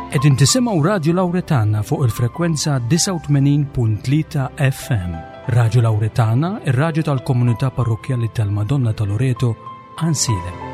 Qegħdin tisimgħu Radju Lawretana fuq il-frekwenza 89.3 FM. Radju Lawretana, ir-radju tal-komunità parrokkjali tal-Madonna ta' Loreto, Ansilem.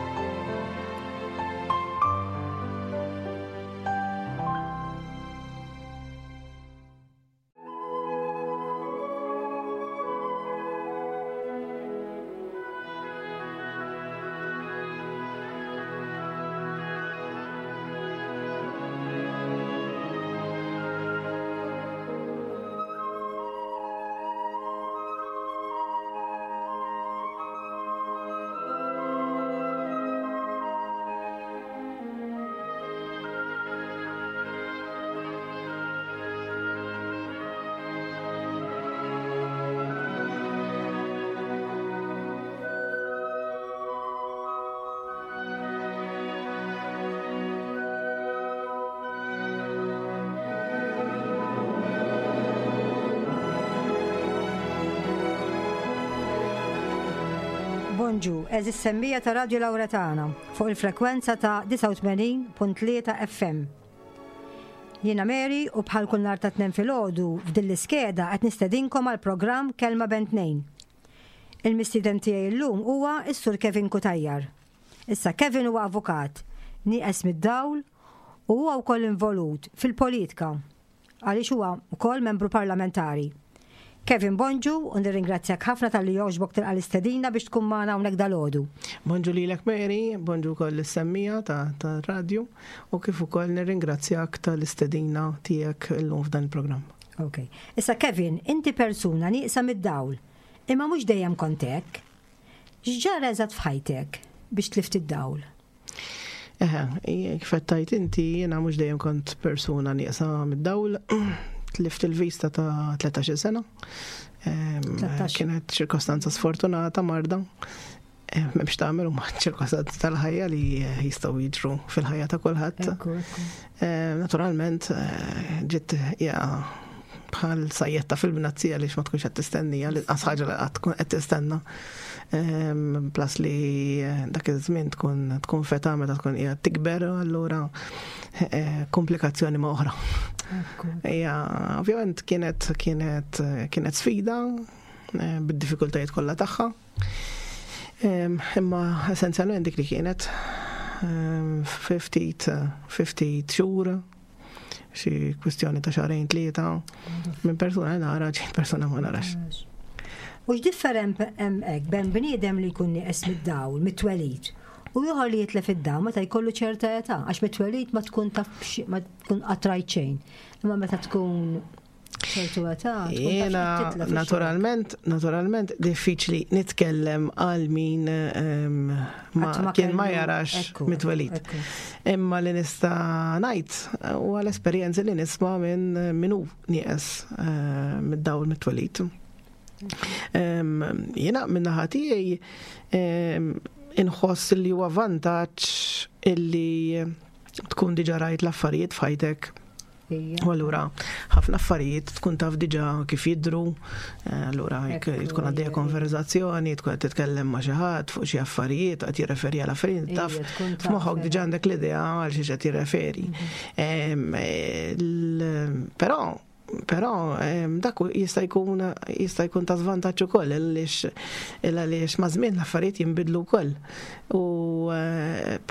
Bonġu, eżis semmija ta' Radio Lauretana fuq il-frekwenza ta' 89.3 FM. Jiena Mary u bħal kull nhar ta' Tnejn filgħodu f'din l-iskeda qed nistedinkom għal programm Kelma Bejn Tnejn. Il-mistieden tiegħi llum huwa s-Sur Kevin Cutajar. Issa Kevin huwa avukat, nieqes mid-dawl u huwa wkoll involut fil-politika. għaliex huwa wkoll membru parlamentari. Kevin bonġu u nirringrazzjak ħafna talli jogħġbok tilqa' l-istedina biex tkun magħna hawnhekk dalgħodu. Bonġu lilek Mary, bonġu wkoll lis-semmiegħa tar-radju u kif ukoll nirringrazzjak tal-istedina tiegħek illum f'dan il-programm. Ok. Issa Kevin, inti persuna nieqsa mid-dawl, imma mhux dejjem kont hekk. X'ġara eżatt f'ħajtek biex tlift id-dawl? Eħe, kif qed tgħid inti, jiena mhux dejjem kont persuna nieqsa mid-dawl. Tlift il-vista ta' 13 sena. Kienet ċirkostanza sfortunata marda. M'hemmx tagħmel huma ċirkostanzi tal-ħajja li jistgħu jiġru fil-ħajja ta' kulħadd. Naturalment, ġiet ja bħal sajjetta fil-bnazzi għaliex ma tkunx qed tistennija li qas ħaġa li qatt tkun qed tistenna. Plus li eh, dak iż-żmien tkun tkun feta meta tkun qiegħed tikber allura eh, komplikazzjoni ma' oħra. Ija, ovvjament kienet kienet kienet sfida eh, bid-diffikultajiet kollha tagħha. Imma essenzjalment dik li kienet 50 50 xhur xi kwistjoni ta' xahrejn tlieta minn persuna li nara ġejt persuna ma narax. U x'different hemm hekk bejn bniedem li jkun nieqes mid-dawl mit-twelid u ieħor li jitlef id-dawl meta jkollu ċerta età għax mit-twelid ma tkun taf ma tkun qatt rajt xejn. Imma meta tkun ċertu età. Jiena naturalment, naturalment diffiċli nitkellem għal min ehm, ma kien ma jarax mitwelid. Imma li nista' ngħid huwa l-esperjenzi li nisma' minn min hu nieqes eh, mid-dawl mit-twelid. Ehm, jiena min-naħa tiegħi ehm, inħoss li huwa vantaġġ illi tkun diġa rajt l-affarijiet f'ħajtek U allura ħafna affarijiet tkun taf diġà kif jidru, eh, allura jekk tkun għaddejja konverzazzjoni, tkun qed titkellem ma' xi ħadd fuq xi affarijiet, qed jirreferi għal affarijiet, taf f'moħħok diġà għandek l-idea għal xi qed jirreferi. Mhm. Eh, però Però dak jista' jkun jista' jkun ta' żvantaġġ ukoll għaliex għaliex ma' żmien l-affarijiet jinbidlu wkoll. U eh,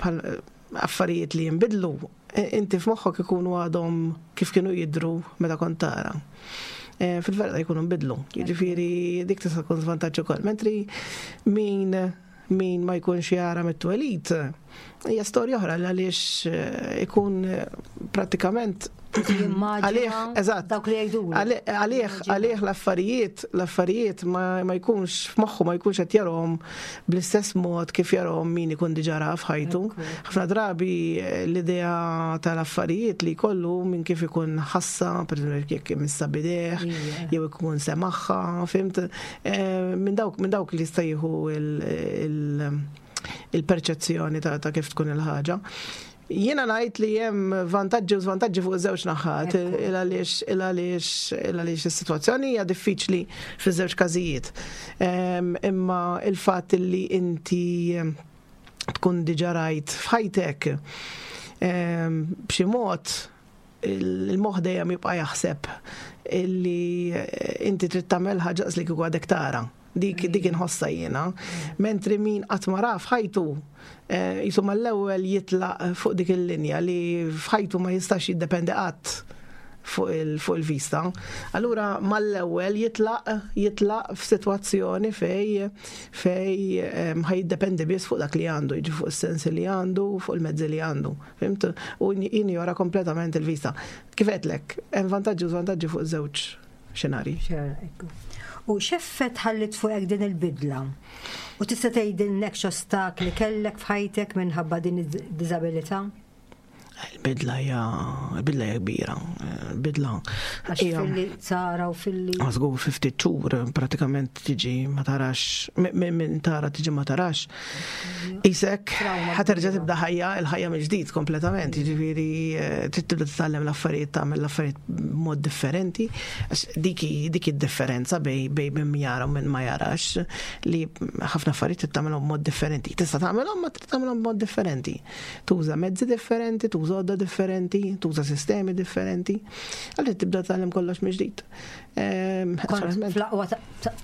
affarijiet li jinbidlu, e, inti f'moħħok ikunu għadhom kif kienu jidru meta kont tara. E, fil-verità jkunu nbidlu. Jiġifieri dik tista' tkun żvantaġġ ukoll. Mentri min min ma jkunx jara mit-twelid, hija storja oħra għaliex eh, ikun eh, pratikament Għalih, eżatt. Dawk li jgħidu. Għalih, għalih l-affarijiet, l-affarijiet ma jkunx f'moħħu ma jkunx qed jarhom bl-istess mod kif jarhom min ikun diġà ra f'ħajtu. Ħafna drabi eh, l-idea tal-affarijiet li jkollu minn kif ikun ħassa, per jekk imissa bideh, jew ikun semaħħa, fimt, eh, minn dawk minn dawk li jista' jieħu il-perċezzjoni ta' kif tkun il-ħaġa. Jiena ngħid li hemm vantaġġi u żvantaġġi fuq iż-żewġ naħat, il għaliex il għaliex il għaliex is-sitwazzjoni hija diffiċli fiż-żewġ każijiet. Imma il-fatt li inti tkun diġà rajt f'ħajtek b'xi mod. il-moħħ dejjem jibqa' jaħseb illi inti trid tagħmel ħaġa li kieku għadek tara. Dik dik inħossha jiena. Mentri min qatt ma ra f'ħajtu eh, jisu mal-ewwel jitlaq fuq dik il-linja li f'ħajtu ma jistax jiddependi qatt fuq il-vista. Allura mal-ewwel jitlaq jitlaq f'sitwazzjoni fej fej ehm, ħaj jiddependi biss fuq dak li għandu, jiġi fuq is-sensi li għandu, fuq il-mezzi li għandu. Fimt? U jinjora kompletament il-vista. Kif għedtlek, hemm vantaġġi u żvantaġġi fuq żewġ xenarji. U x'effett ħallit fuqek din il-bidla? U tista' tgħidilnek x'ostakli kellek f'ħajtek minħabba din id-diżabilità? Il-bidla hija il-bidla hija kbira. Il-bidla Għax filli tara u filli. Żgur fi ftit xhur pratikament tiġi ma tarax minn tara tiġi ma tarax. Isek ħaterġa' tibda ħajja il-ħajja mill-ġdid kompletament, jiġifieri eh, trid tibda titgħallem l-affarijiet tagħmel l-affarijiet b'mod differenti. Għax dik dik id-differenza bej bej min jara u min ma jarax li ħafna affarijiet trid tagħmelhom b'mod differenti. Tista' tagħmelhom ma trid tagħmelhom b'mod differenti. Tuża mezzi differenti, tuża għodda differenti, tuża sistemi differenti. Għalli tibda tgħallem kollox mill-ġdid. Ehm, fl-aqwa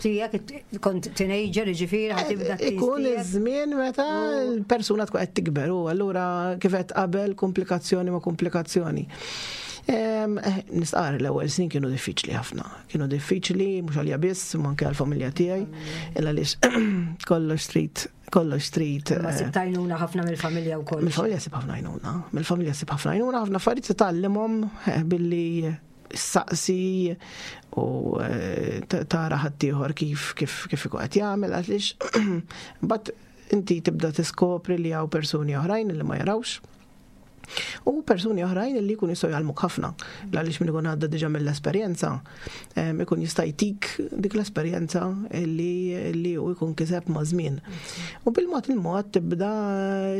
tiegħek kont teenager ġifieri ħatibda eh, Ikun iż-żmien meta l-persuna tkun qed tikber u allura kif qed qabel komplikazzjoni ma' komplikazzjoni. Ehm, eh, nistqar l-ewwel snin kienu diffiċli ħafna. Kienu diffiċli mhux għalija biss, ma anke għall-familja tiegħi, illa għaliex kollox trid kollox trid. Ma sib tajnuna ħafna mill-familja wkoll. Mill-familja sib ħafna għajnuna. Mill-familja sib ħafna għajnuna, ħafna affarijiet titgħallimhom eh, billi saqsi u eh, tara ħaddieħor kif kif kif ikun qed jagħmel għaliex mbagħad inti tibda tiskopri li hawn persuni oħrajn li ma jarawx U persuni oħrajn li jkunu jistgħu jgħallmuk ħafna. Għaliex min ikun għadda diġà mill-esperjenza, ikun jista' jtik dik l-esperjenza li li hu jkun kiseb ma' żmien. U bil-mod il-mod tibda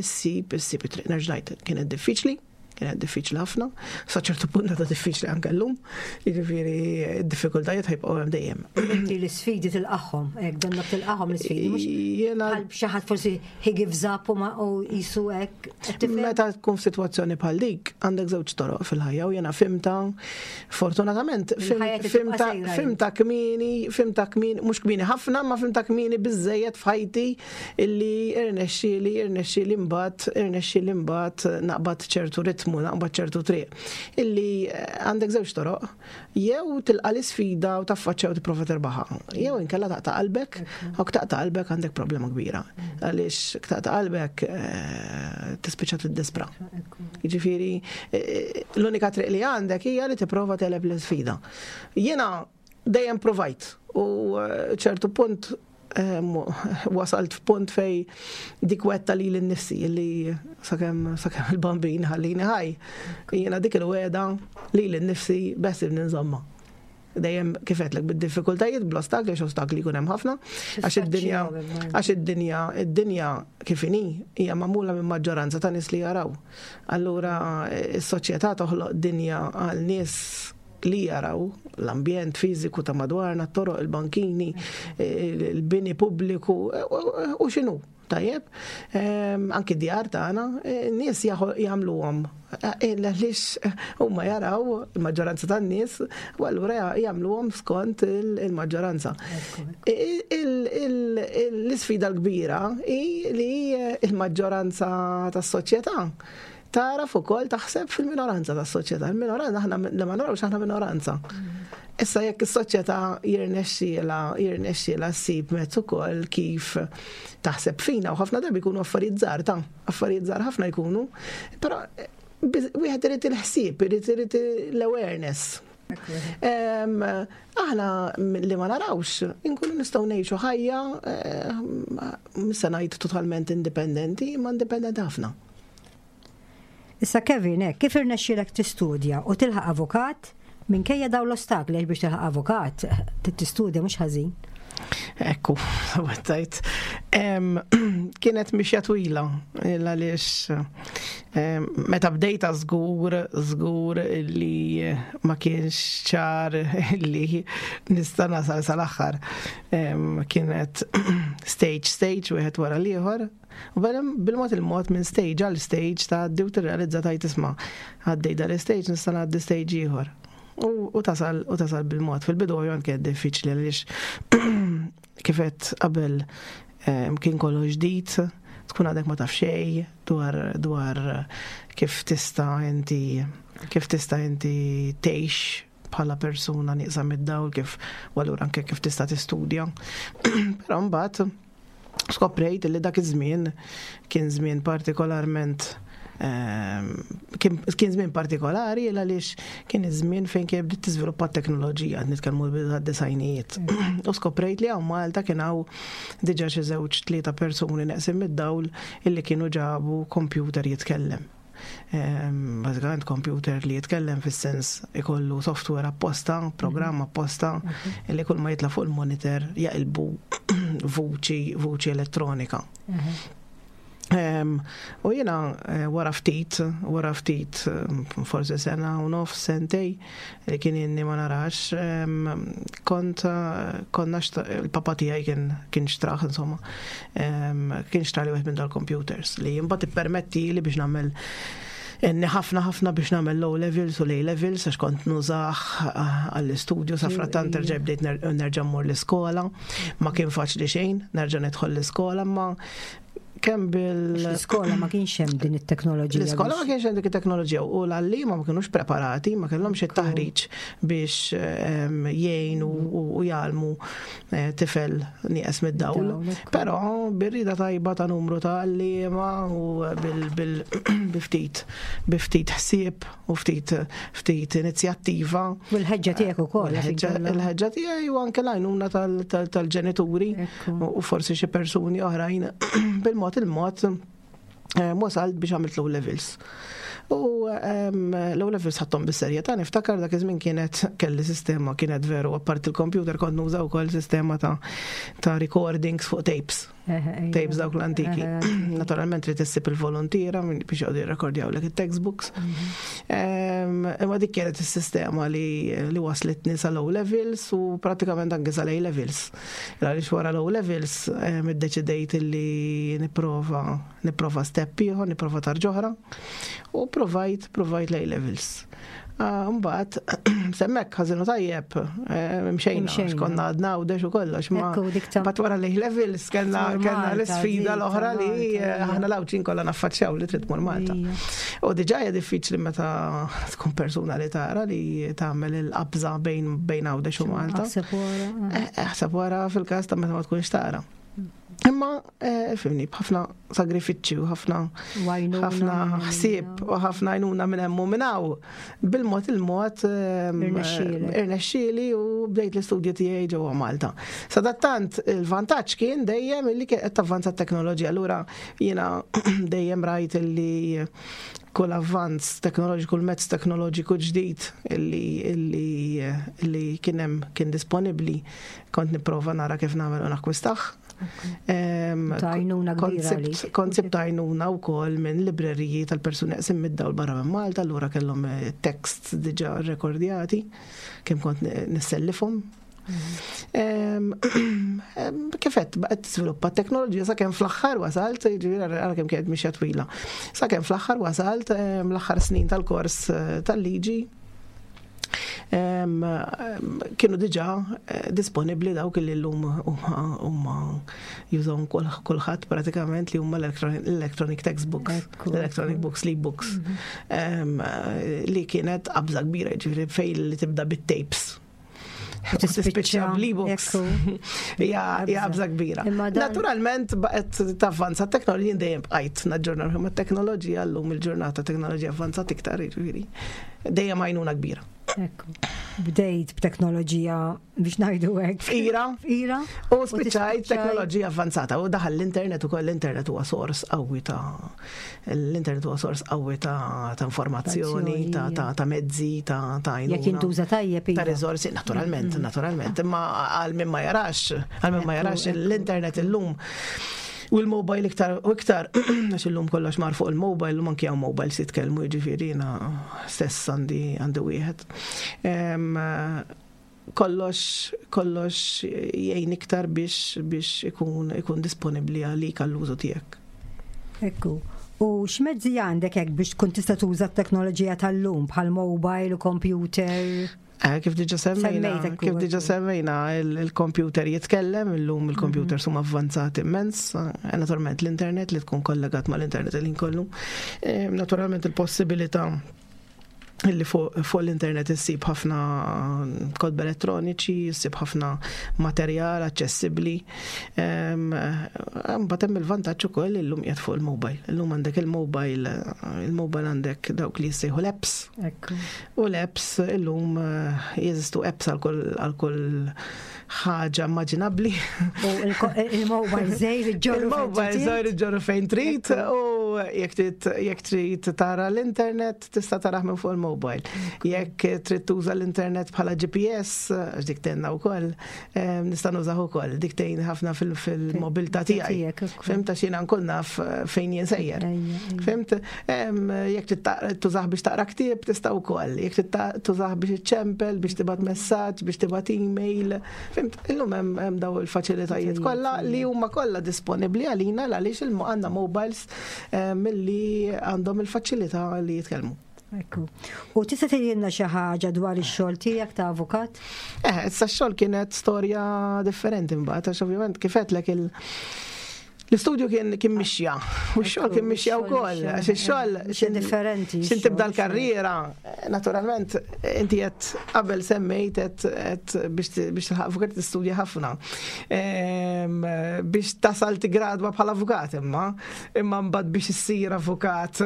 ssib issib it-triq nerġa' kienet diffiċli, kienet diffiċli ħafna, sa ċertu punt ta' diffiċli anke llum, jiġifieri d-diffikultajiet ħajbqgħu hemm dejjem. Inti l-isfidi tilqagħhom, hekk donnok tilqagħhom l-isfidi, mhux bħal xi ħadd forsi he gives up u ma u jisu hekk. Meta tkun f'sitwazzjoni bħal dik, għandek żewġ toroq fil-ħajja u jiena fimta, fortunatament, fimta, fimta kmieni, fimta kmieni, mhux kmieni ħafna, ma fimta kmieni biżejjed f'ħajti illi irnexxieli, irnexxieli mbagħad, irnexxieli mbagħad naqbad ċertu ritmu, naqbad ċertu triq. Illi eh, għandek żewġ toroq, Jew tilqa' l-isfida u taffaċċja u tipprova terbaħha. Jew inkella taqta' qalbek, u taqta' qalbek għandek problema kbira. Għaliex taqta' qalbek eh, tispiċċa tiddispra. Jiġifieri eh, l-unika triq li għandek hija li tipprova teleb l-isfida. Jiena dejjem provajt u eh, ċertu punt wasalt f'punt fej dik wetta li l-nifsi li sakemm sakemm il-bambin ħallini ħaj. Jiena dik il-weda li l-nifsi besib ninżomma. Dejjem kif għedtlek bid-diffikultajiet, bl-ostakli, għax ostakli jkun hemm ħafna, għax id-dinja għax id-dinja id-dinja kif inhi hija magħmula minn maġġoranza ta' nies li jaraw. Allura s-soċjetà toħloq dinja għal nies li jaraw l-ambjent fiżiku ta' madwarna, t-toroq, il-bankini, il-bini pubbliku u x'inhu. Tajjeb, ehm, anki djar tagħna, eh, nies jagħmluhom eh, għaliex huma jaraw il-maġġoranza tan-nies u allura jagħmluhom skont il-maġġoranza. L-isfida l-kbira hi li l-maġġoranza tas-soċjetà Tagħraf ukoll taħseb fil-minoranza tas-soċjetà. Il-minoranza aħna li ma narawx aħna minoranza. Issa jekk is-soċjetà jirnexxiela jirnexxiela ssib mezz ukoll kif taħseb fina u ħafna drabi jkunu affarijiet żgħar ta' affarijiet żgħar ħafna jkunu, però eh, wieħed irid il-ħsieb, irid irid l-awareness. Aħna li ma narawx, inkunu nistgħu ngħixu ħajja eh, mhux se ngħid totalment indipendenti, imma indipendenti ħafna. Issa Kevin, hekk, kif irnexxielek tistudja u tilħaq avukat minkejja dawn l-ostakli għax biex tilħaq avukat trid tistudja mhux ħażin. Ekku, għattajt. Kienet mixja twila, għaliex meta bdejta żgur, żgur li ma kienx ċar li nista' nasal sal-aħħar. Kienet stage stage wieħed wara l-ieħor. U bil-mod il-mod minn stage għal stage ta' u tirrealizza tajt isma' għaddej dal-stage nista' ngħaddi stage ieħor. U tasal u tasal bil-mod. Fil-bidu ovvjament kienet diffiċli għaliex kifet qabel kien kollu ġdid, tkun għadek ma taf xejn dwar dwar kif tista' inti kif tista' inti tgħix bħala persuna nieqsa mid-dawl kif u allura anke kif tista' tistudja. Però mbagħad skoprejt li dak iż-żmien kien żmien partikolarment kien żmien partikolari għaliex kien iż-żmien fejn kien bdiet tiżviluppa t-teknoloġija, qed nitkellmu l-bidu tad-disajnijiet. U skoprejt li hawn Malta kien hawn diġà xi żewġ tlieta persuni neqsin mid-dawl illi kienu ġabu kompjuter jitkellem. Bażikament kompjuter li jitkellem fis-sens ikollu software apposta, programm apposta, illi kull ma jitla' fuq il-monitor jaqilbu vuċi vuċi elettronika. U jiena eh, wara ftit, wara ftit, forsi sena u nof, sentej, li kien inni ma narax, kont konna il-papa tiegħi kien kien xtraħ insomma, kien xtrali wieħed minn dal-computers li mbagħad ippermetti li biex nagħmel Inni ħafna ħafna biex nagħmel low levels u A levels għax kont nużah għall-istudju sa frattant terġa' bdejt nerġa' mmur l-iskola. Ma kien faċli xejn, nerġa' nidħol l-iskola, ma kemm bil. L-iskola ma kienx hemm din it-teknoloġija. L-iskola ma kienx hemm dik it-teknoloġija u l-għalliema ma kinux preparati, ma kellhomx it-taħriġ biex ehm, jgħinu u jgħallmu eh, tifel nieqes mid-dawl. Però bir-rida tajba ta' numru ta' għalliema u bil-ftit biftit ħsieb u ftit ftit inizjattiva. U l-ħeġġa tiegħek ukoll. Il-ħeġġa tiegħi u anke l-għajnuna tal-ġenituri u forsi xi persuni oħrajn bil-mod il-mod eh, wasalt biex għamilt low levels. U ehm, low levels ħadthom bis-serjetà, niftakar dak iż-żmien kienet kelli sistema kienet veru apparti il-computer kont nuża wkoll sistema ta' ta' recordings fuq tapes. Tapes dawk l-antiki. Naturalment trid issib il-volontiera biex jgħodu jirrekordjawlek it-textbooks. Mhm. Imma dik kienet is-sistema li li waslitni sa low levels u pratikament anke sa A levels. Għaliex wara low levels iddeċidejt li nipprova nipprova step ieħor, nipprova tarġoħra u provajt provajt l-A levels. Ah, mbagħad semmek ħażinu tajjeb, eh, mxejna, konna għadna u dex u kollox, ma mbagħad wara li levels kellna kellna l-isfida l-oħra li eh, aħna l-Għawdxin kollha naffaċċjaw li trid tmur Malta. U diġà hija diffiċli meta tkun persuna li tara li tagħmel il-qabża bejn bejn Għawdex u Malta. Aħseb wara eh, fil-każ ta' meta ma tkunx tara. Imma, eh, fimni, b'ħafna sagrifiċċji u ħafna ħafna ħsieb u ħafna għajnuna minn hemm u minn hawn. Bil-mod il-mod ehm, irnexxieli u bdejt l-istudju tiegħi ġewwa Malta. Sadattant il-vantaġġ kien dejjem illi kien qed tavvanza t-teknoloġija. Allura jiena dejjem rajt illi kull avvanz teknoloġiku, kull mezz teknoloġiku ġdid illi illi illi kien hemm kien disponibbli Kont nipprova nara kif nagħmel u nakkwistaħ. Tajnuna kbira. Kont sibt għajnuna wkoll minn libreriji tal-persuni qsim mid-dawl barra minn Malta, allura kellhom eh, tekst diġà rekordjati, kemm kont nissellifhom. Mhm. Kifet, baqgħet tiżviluppa t-teknoloġija sakemm fl-aħħar wasalt, jiġifieri ara kemm kienet mixja twila. Sakemm fl-aħħar wasalt l-aħħar snin tal-kors eh, tal-liġi kienu diġà eh, disponibbli dawk li llum huma jużawhom kulħadd pratikament li huma l-electronic textbooks, l-electronic books, l-e-books, mhm. li kienet qabża kbira, ġifieri fejn li tibda bit-tapes. Tispiċċa bl-e-books. Hija qabża kbira. Naturalment baqgħet tavvanza t-teknoloġija dejjem bqajt naġġorna ruħi mat-teknoloġija llum il-ġurnata teknoloġija avvanzat iktar, jiġifieri. Dejjem għajnuna kbira. Ekku. Bdejt b'teknoloġija biex ngħidu hekk. Fqira. Fqira. U spiċċajt teknoloġija avvanzata u daħal l-internet ukoll l-internet huwa sors qawwi ta' l-internet huwa sors qawwi ta' informazzjoni, ta' mezzi, ta' għajnuna. Jekk jintuża tajjeb. Ta' iva. riżorsi, naturalment, mm. naturalment. Imma għal min ma jarax, għal min ma jarax l-internet illum U l-mobile iktar u iktar, għax illum kollox mar fuq il-mobile, illum anki hawn mobile si tkellmu jiġifieri jiena stess għandi għandi wieħed. Kollox kollox jgħin iktar biex biex ikun ikun disponibbli għalik għall-użu tiegħek. Ekku. U x'mezzi għandek hekk biex tkun tista' tuża t-teknoloġija tal-lum bħal mobile u computer? Eh, kif diġa semmejna, kif diġa semmejna, il-computer jitkellem, illum il-computer mhm. huma avvanzati immens, eh, naturalment l-internet li tkun kollegat mal-internet li nkollu. Eh, naturalment il-possibilità illi fuq l-internet issib ħafna kodba elettroniċi, issib ħafna materjal aċċessibbli. Mbagħad hemm il-vantaġġ ukoll illum qiegħed fuq il-mobile. Illum għandek il-mobile, il-mobile għandek dawk li jissejħu l-apps. U l-apps illum eh, jeżistu apps għal kull ħaġa immaġinabbli. U il-mobile żejr iġġorru. Il-mobile żejr iġġorru fejn trid u jekk trid tara l-internet tista' tarah minn fuq il-mobile. Jekk trid tuża l-internet bħala GPS, għax dik tenna wkoll, nista' nużah ukoll, dik tgħin ħafna fil-mobilità tiegħi. Fimt għax jiena nkun naf eh, fejn jien sejjer. Fimt, jekk tużah biex taqra ktieb tista' wkoll, jekk tużah biex iċċempel, biex tibgħat messaġġ, biex tibgħat email. Fimt, illum hemm daw il-faċilitajiet kollha li huma kollha disponibbli għalina għaliex għandna mobiles milli għandhom il-faċilità li jitkellmu. Ekku. U tista' tgħidilna xi ħaġa dwar ix-xogħol tiegħek ta' avukat? Eh, issa x-xogħol kienet storja differenti mbagħad għax ovvjament kif għedtlek il- L-istudju kien kien mixja, u x-xogħol kien mixja wkoll, għax ix-xogħol Xi differenti. Xin tibda l-karriera, naturalment, inti qed qabel semmejt qed biex tilħaq avukat tistudja ħafna. Ehm, biex tasal tigradwa bħala avukat imma, imma mbagħad biex issir avukat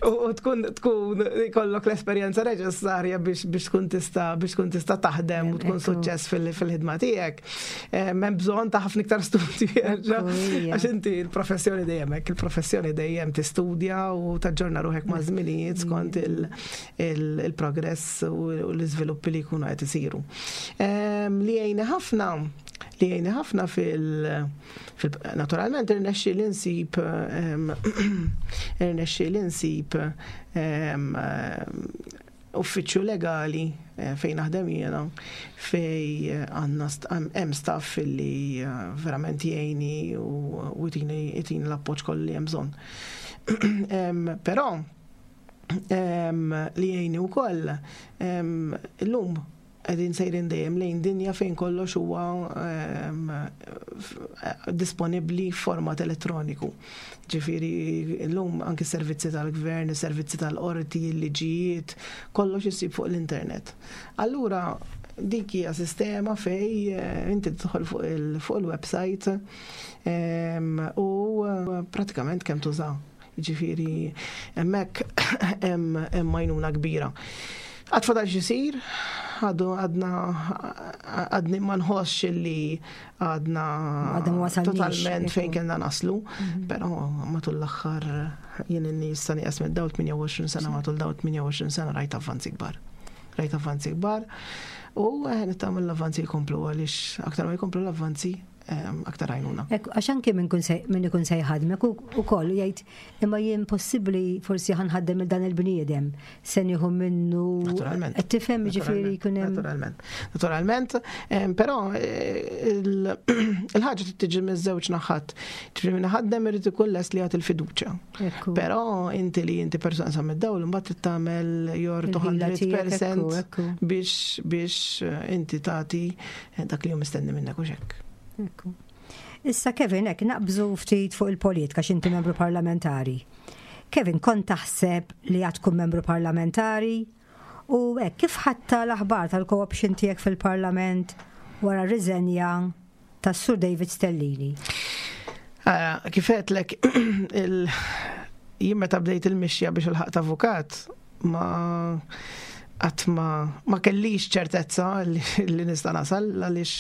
u tkun tkun ikollok l-esperjenza neċessarja biex biex tkun tista' biex tkun tista' taħdem u tkun suċċess fil-ħidma tiegħek. Eh, m'hemm bżonn ta' ħafna iktar studji għax inti l-professjoni dejjem hekk, il-professjoni dejjem tistudja u taġġorna ruħek ma' żminijiet skont il-progress u l-iżviluppi li jkunu qed isiru. Ehm, li jgħinni ħafna li jgħinni ħafna fil- Naturalment irnexxi li nsib irnexxi li nsib uffiċċju legali eh, fejn naħdem jiena fej eh, għandna hemm staff li eh, verament jgħini u jtini l-appoġġ kollu li hemm bżonn. Però li jgħini wkoll illum Qegħdin sejrin dejjem lejn dinja fejn kollox huwa ehm, disponibbli f'format elettroniku. Ġifieri llum anki s-servizzi tal-gvern, is-servizzi tal-qorti, il-liġijiet, kollox isib fuq l-internet. Allura dik hija sistema fej eh, inti tidħol fuq il-website ehm, u eh, pratikament kemm tuża. Jiġifieri hemmhekk hemm għajnuna kbira. Għad fadal x'isir, għadu għadna għadni ma nħossx li għadna totalment fejn kellna naslu, mhm. però matul l-aħħar jien inni issa nieqes mid-dawl 28 sena matul dawl 28 sena rajt avvanzi kbar. Rajt avvanzi kbar u eh, nittamel l-avvanzi jkomplu għaliex aktar ma jkomplu l-avvanzi aktar għajnuna. Għax anki minn ikun se jħadmek ukoll jgħid imma jien possibbli forsi ħanħaddem il dan il-bniedem se nieħu minnu. Naturalment. Qed tifhem ġifieri jkun hemm. Naturalment. Naturalment, però eh, il-ħaġa trid tiġi miż-żewġ naħat. Ġifieri minn ħaddem irid ikun lest li jagħti l-fiduċja. Però inti li inti persuna sa mid-dawl imbagħad trid tagħmel your 200% biex biex eh, inti tagħti Eh, dak li hu mistenni minnek u xekk. Ekku. Issa Kevin, hekk naqbżu ftit fuq il-politika x'inti membru parlamentari. Kevin, kont taħseb li għad tkun membru parlamentari? U hekk kif ħatta l-aħbar tal-co-option tiegħek fil-parlament wara r-riżenja tas-Sur David Stellini? Ara, kif għedtlek, jien meta bdejt il-mixja biex il-ħaqt avukat, ma Qatt ma ma kellix ċertezza li nista' nasal għaliex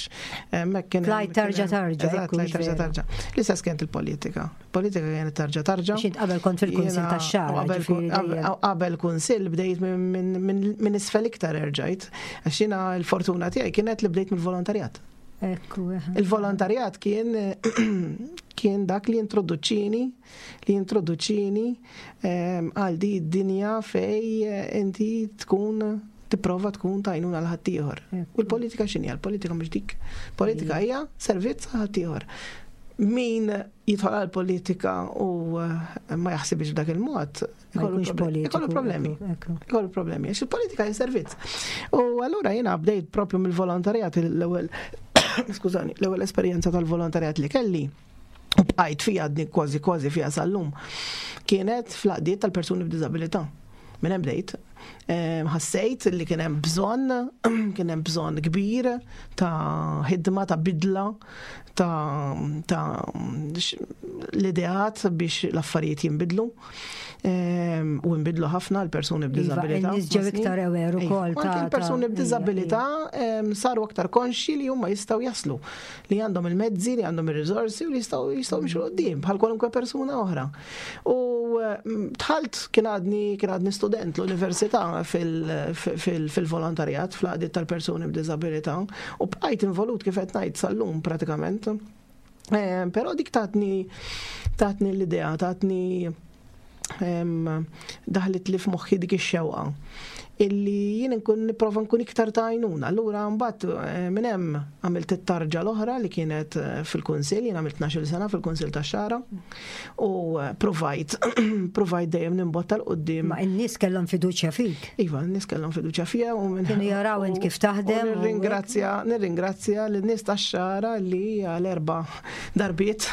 hemmhekk kien Tlajt tarġa tarġa. Eżatt, tlajt tarġa tarġa. L-istess kienet il-politika. Politika kienet tarġa tarġa. Xint qabel kont fil-kunsil tax-xagħar. Qabel kunsil bdejt minn isfel iktar erġajt. Għax jiena l-fortuna tiegħi kienet li bdejt mill-volontarjat. Il-volontarjat kien kien dak li introduċini li jintroduċini ehm, għal di d-dinja fej eh, inti tkun tipprova tkun tajnuna l ħaddieħor. U l-politika x'inhi? L-politika mhux dik. Politika hija servizz għal ħaddieħor. Min jidħol għal politika u eh, ma jaħsibx b'dak il-mod, ikollu problemi. Ikollu problemi. Għax il-politika hija servizz. U allura jiena bdejt propju mill-volontarjat l-ewwel skużani, l-ewwel esperjenza tal-volontarjat li kelli u bqajt fija għadni kważi kważi fija sal-lum, kienet fl-għaqdiet tal-persuni b'diżabilità. Minn hemm bdejt. Ehm, ħassejt li kien hemm bżonn, kien hemm bżonn kbir ta' ħidma, ta' bidla, ta', ta l-ideat biex l-affarijiet jinbidlu. Ehm, u nbidlu ħafna l-persuni iva, b'diżabilità. Nies ġew iktar aware ukoll. Anke l-persuni b'diżabilità ehm, saru aktar konxji li huma jistgħu jaslu li għandhom il-mezzi, li għandhom ir-riżorsi u li jistgħu jistgħu jimxu qudiem bħal kwalunkwe persuna oħra. U mm, dħalt kien għadni kien għadni student l-università fil-volontarjat fl-għaqdiet tal-persuni b'diżabilità u bqajt involut kif qed ngħid sal-lum pratikament. Eh, però dik tatni tatni l-idea, tatni daħlet li f'moħħi dik ix-xewqa illi jien nkun nipprova nkun iktar ta' għajnuna. Allura mbagħad eh, minn hemm għamilt it-tarġa l-oħra li kienet eh, fil-kunsill, jien għamilt 12 sena fil-kunsill tax-xara u eh, provajt provajt dejjem nimbotta l qudiem Ma n-nies kellhom fiduċja fik. Iva, n-nies kellhom fiduċja fija u minn Kienu jaraw int kif taħdem. Nirringrazzja, nirringrazzja lin-nies tax-xara li għal erba' darbiet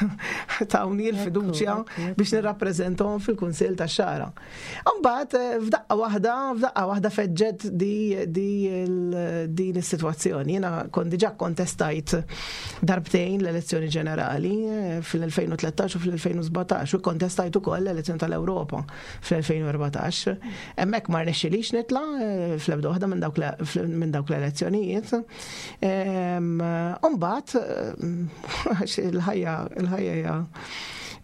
tawni l-fiduċja biex nirrappreżentahom fil-Kunsill tax-Xagħra. Imbagħad eh, f'daqqa waħda, f'daqqa waħda feġġet di, di din is-sitwazzjoni. Jiena kont diġà kontestajt darbtejn l-elezzjoni ġenerali eh, fil-2013 u fil-2017 u kontestajt ukoll l-elezzjoni tal-Ewropa fl-2014. Hemmhekk ma rnexxilix nitla' eh, fl-ebda waħda minn dawk l-elezzjonijiet. Umbat, għax il-ħajja, il-ħajja hija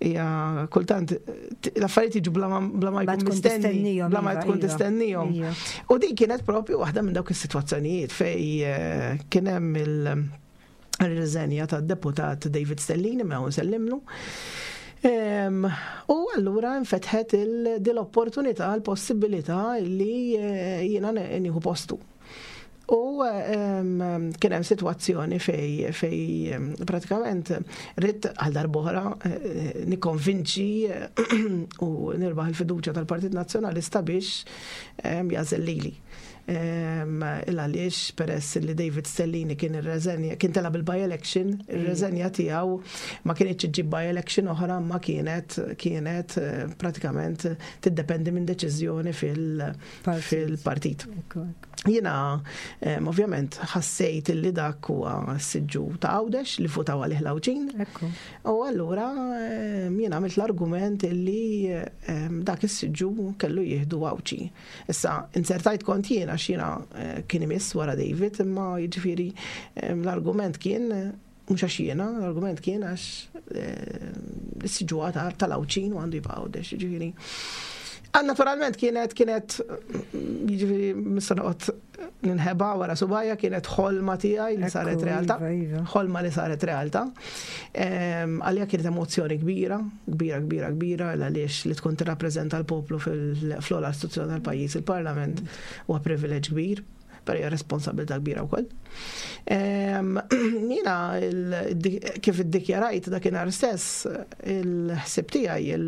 hija kultant l-affarijiet jiġu bla ma jkun mistenni, bla ma tkun iva. tistennihom. Iva. U din kienet propju waħda minn dawk is-sitwazzjonijiet fej eh, kien hemm il-riżenja tad-deputat David Stellini ma nsellimlu. U allura nfetħet il-opportunità, l-possibilità li eh, jiena nieħu postu. U kien hemm sitwazzjoni fej fej pratikament ridt għal darb'oħra eh, nikkonvinċi u nirbaħ il-fiduċja tal-Partit Nazzjonalista biex jażel lili. Il għaliex peress li David Stellini kien irreżenja, kien tela bil-by-election, ir-reżenja tiegħu ma kienx iġġib by-election oħra ma kienet kienet eh, pratikament tiddependi minn deċiżjoni fil-partit. Jiena ovvjament ħassejt li dak huwa s-siġġu ta' Għawdex li votaw għalih l-Għawdxin. U allura jiena għamilt l-argument li dak is-siġġu kellu jieħdu Għawdxi. Issa, insertajt kont jien għax jiena eh, kien imiss wara David, imma jiġifieri l-argument kien Mhux għax jiena, l-argument kien għax eh, is-siġu tal-Għawdxin u għandu jibqa' Għawdex, jiġifieri. Ah, naturalment kienet kienet jiġifieri mista noqgħod ninħeba wara subajja kienet ħolma tiegħi li saret realtà. Iva, iva. Ħolma li saret realtà. Ehm, għalija kienet emozzjoni kbira, kbira, kbira, kbira, għaliex li tkun tirrappreżenta l-poplu fil-ogħla istituzzjoni tal-pajjiż, il-Parlament, huwa privileġġ kbir. Però hija responsabilità kbira wkoll. Ehm, jiena kif iddikjarajt dakinhar stess il-ħsieb tiegħi,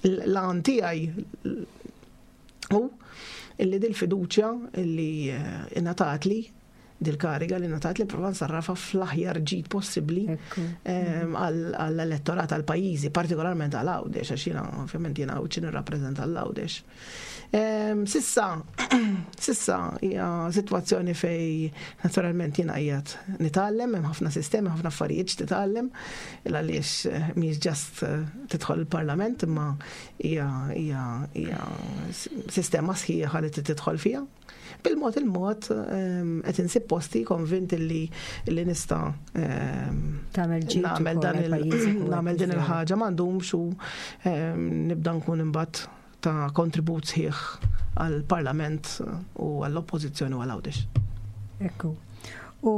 l-għan tiegħi hu illi dil-fiduċja illi eh, ingħatatli dil-kariga li ngħatat li prova nsarrafa fl-aħjar ġid possibbli għall-elettorat għal pajjiżi, partikolarment għal Għawdex, għax jiena ovvjament jiena Għawdxi nirrappreżenta l Għawdex. Sissa, sissa hija sitwazzjoni fej naturalment jiena qiegħed nitgħallem, hemm ħafna sistemi, ħafna affarijiet x'titgħallem, għaliex eh, mhijiex ġast eh, tidħol il-parlament imma hija hija hija sistema sħiħa li tidħol fiha. Bil-mod il-mod ehm, qed insib posti konvint li li nista' ehm, nagħmel dan nagħmel din il-ħaġa m'għandhomx u ehm, nibda nkun imbagħad ta' kontribut sħiħ għall-Parlament u għall-Oppożizzjoni u għal Għawdex. Ekku. U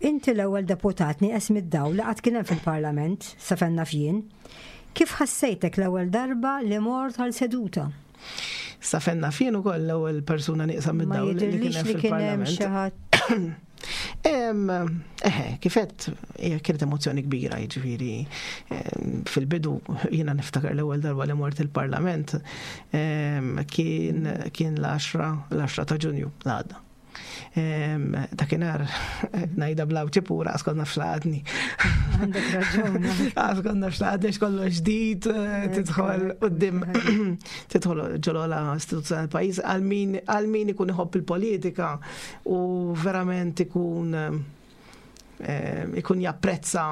inti l-ewwel deputat nieqes mid-dawl li qatt kien hemm fil-Parlament, sa fejn naf jien. Kif ħassejtek l-ewwel darba li mort għal seduta? Sa fejn naf jien ukoll l-ewwel persuna nieqsa mid-dawl li kien hemm fil-Parlament. Eħe, kifet, hija kienet emozzjoni kbira, jiġifieri fil-bidu jiena niftakar l-ewwel darba li mort il-Parlament kien kien l-10 l-10 ta' Ġunju l-għadda. Dakinhar ngħidha bla pura għas konna fxlaqatni. Għandek raġun. Għas konna fxlaqatni xkollu ġdid, eh, tidħol qudiem tidħol ġolola istituzzjoni pajjiż għal min ikun iħobb il-politika u verament ikun eh, ikun japprezza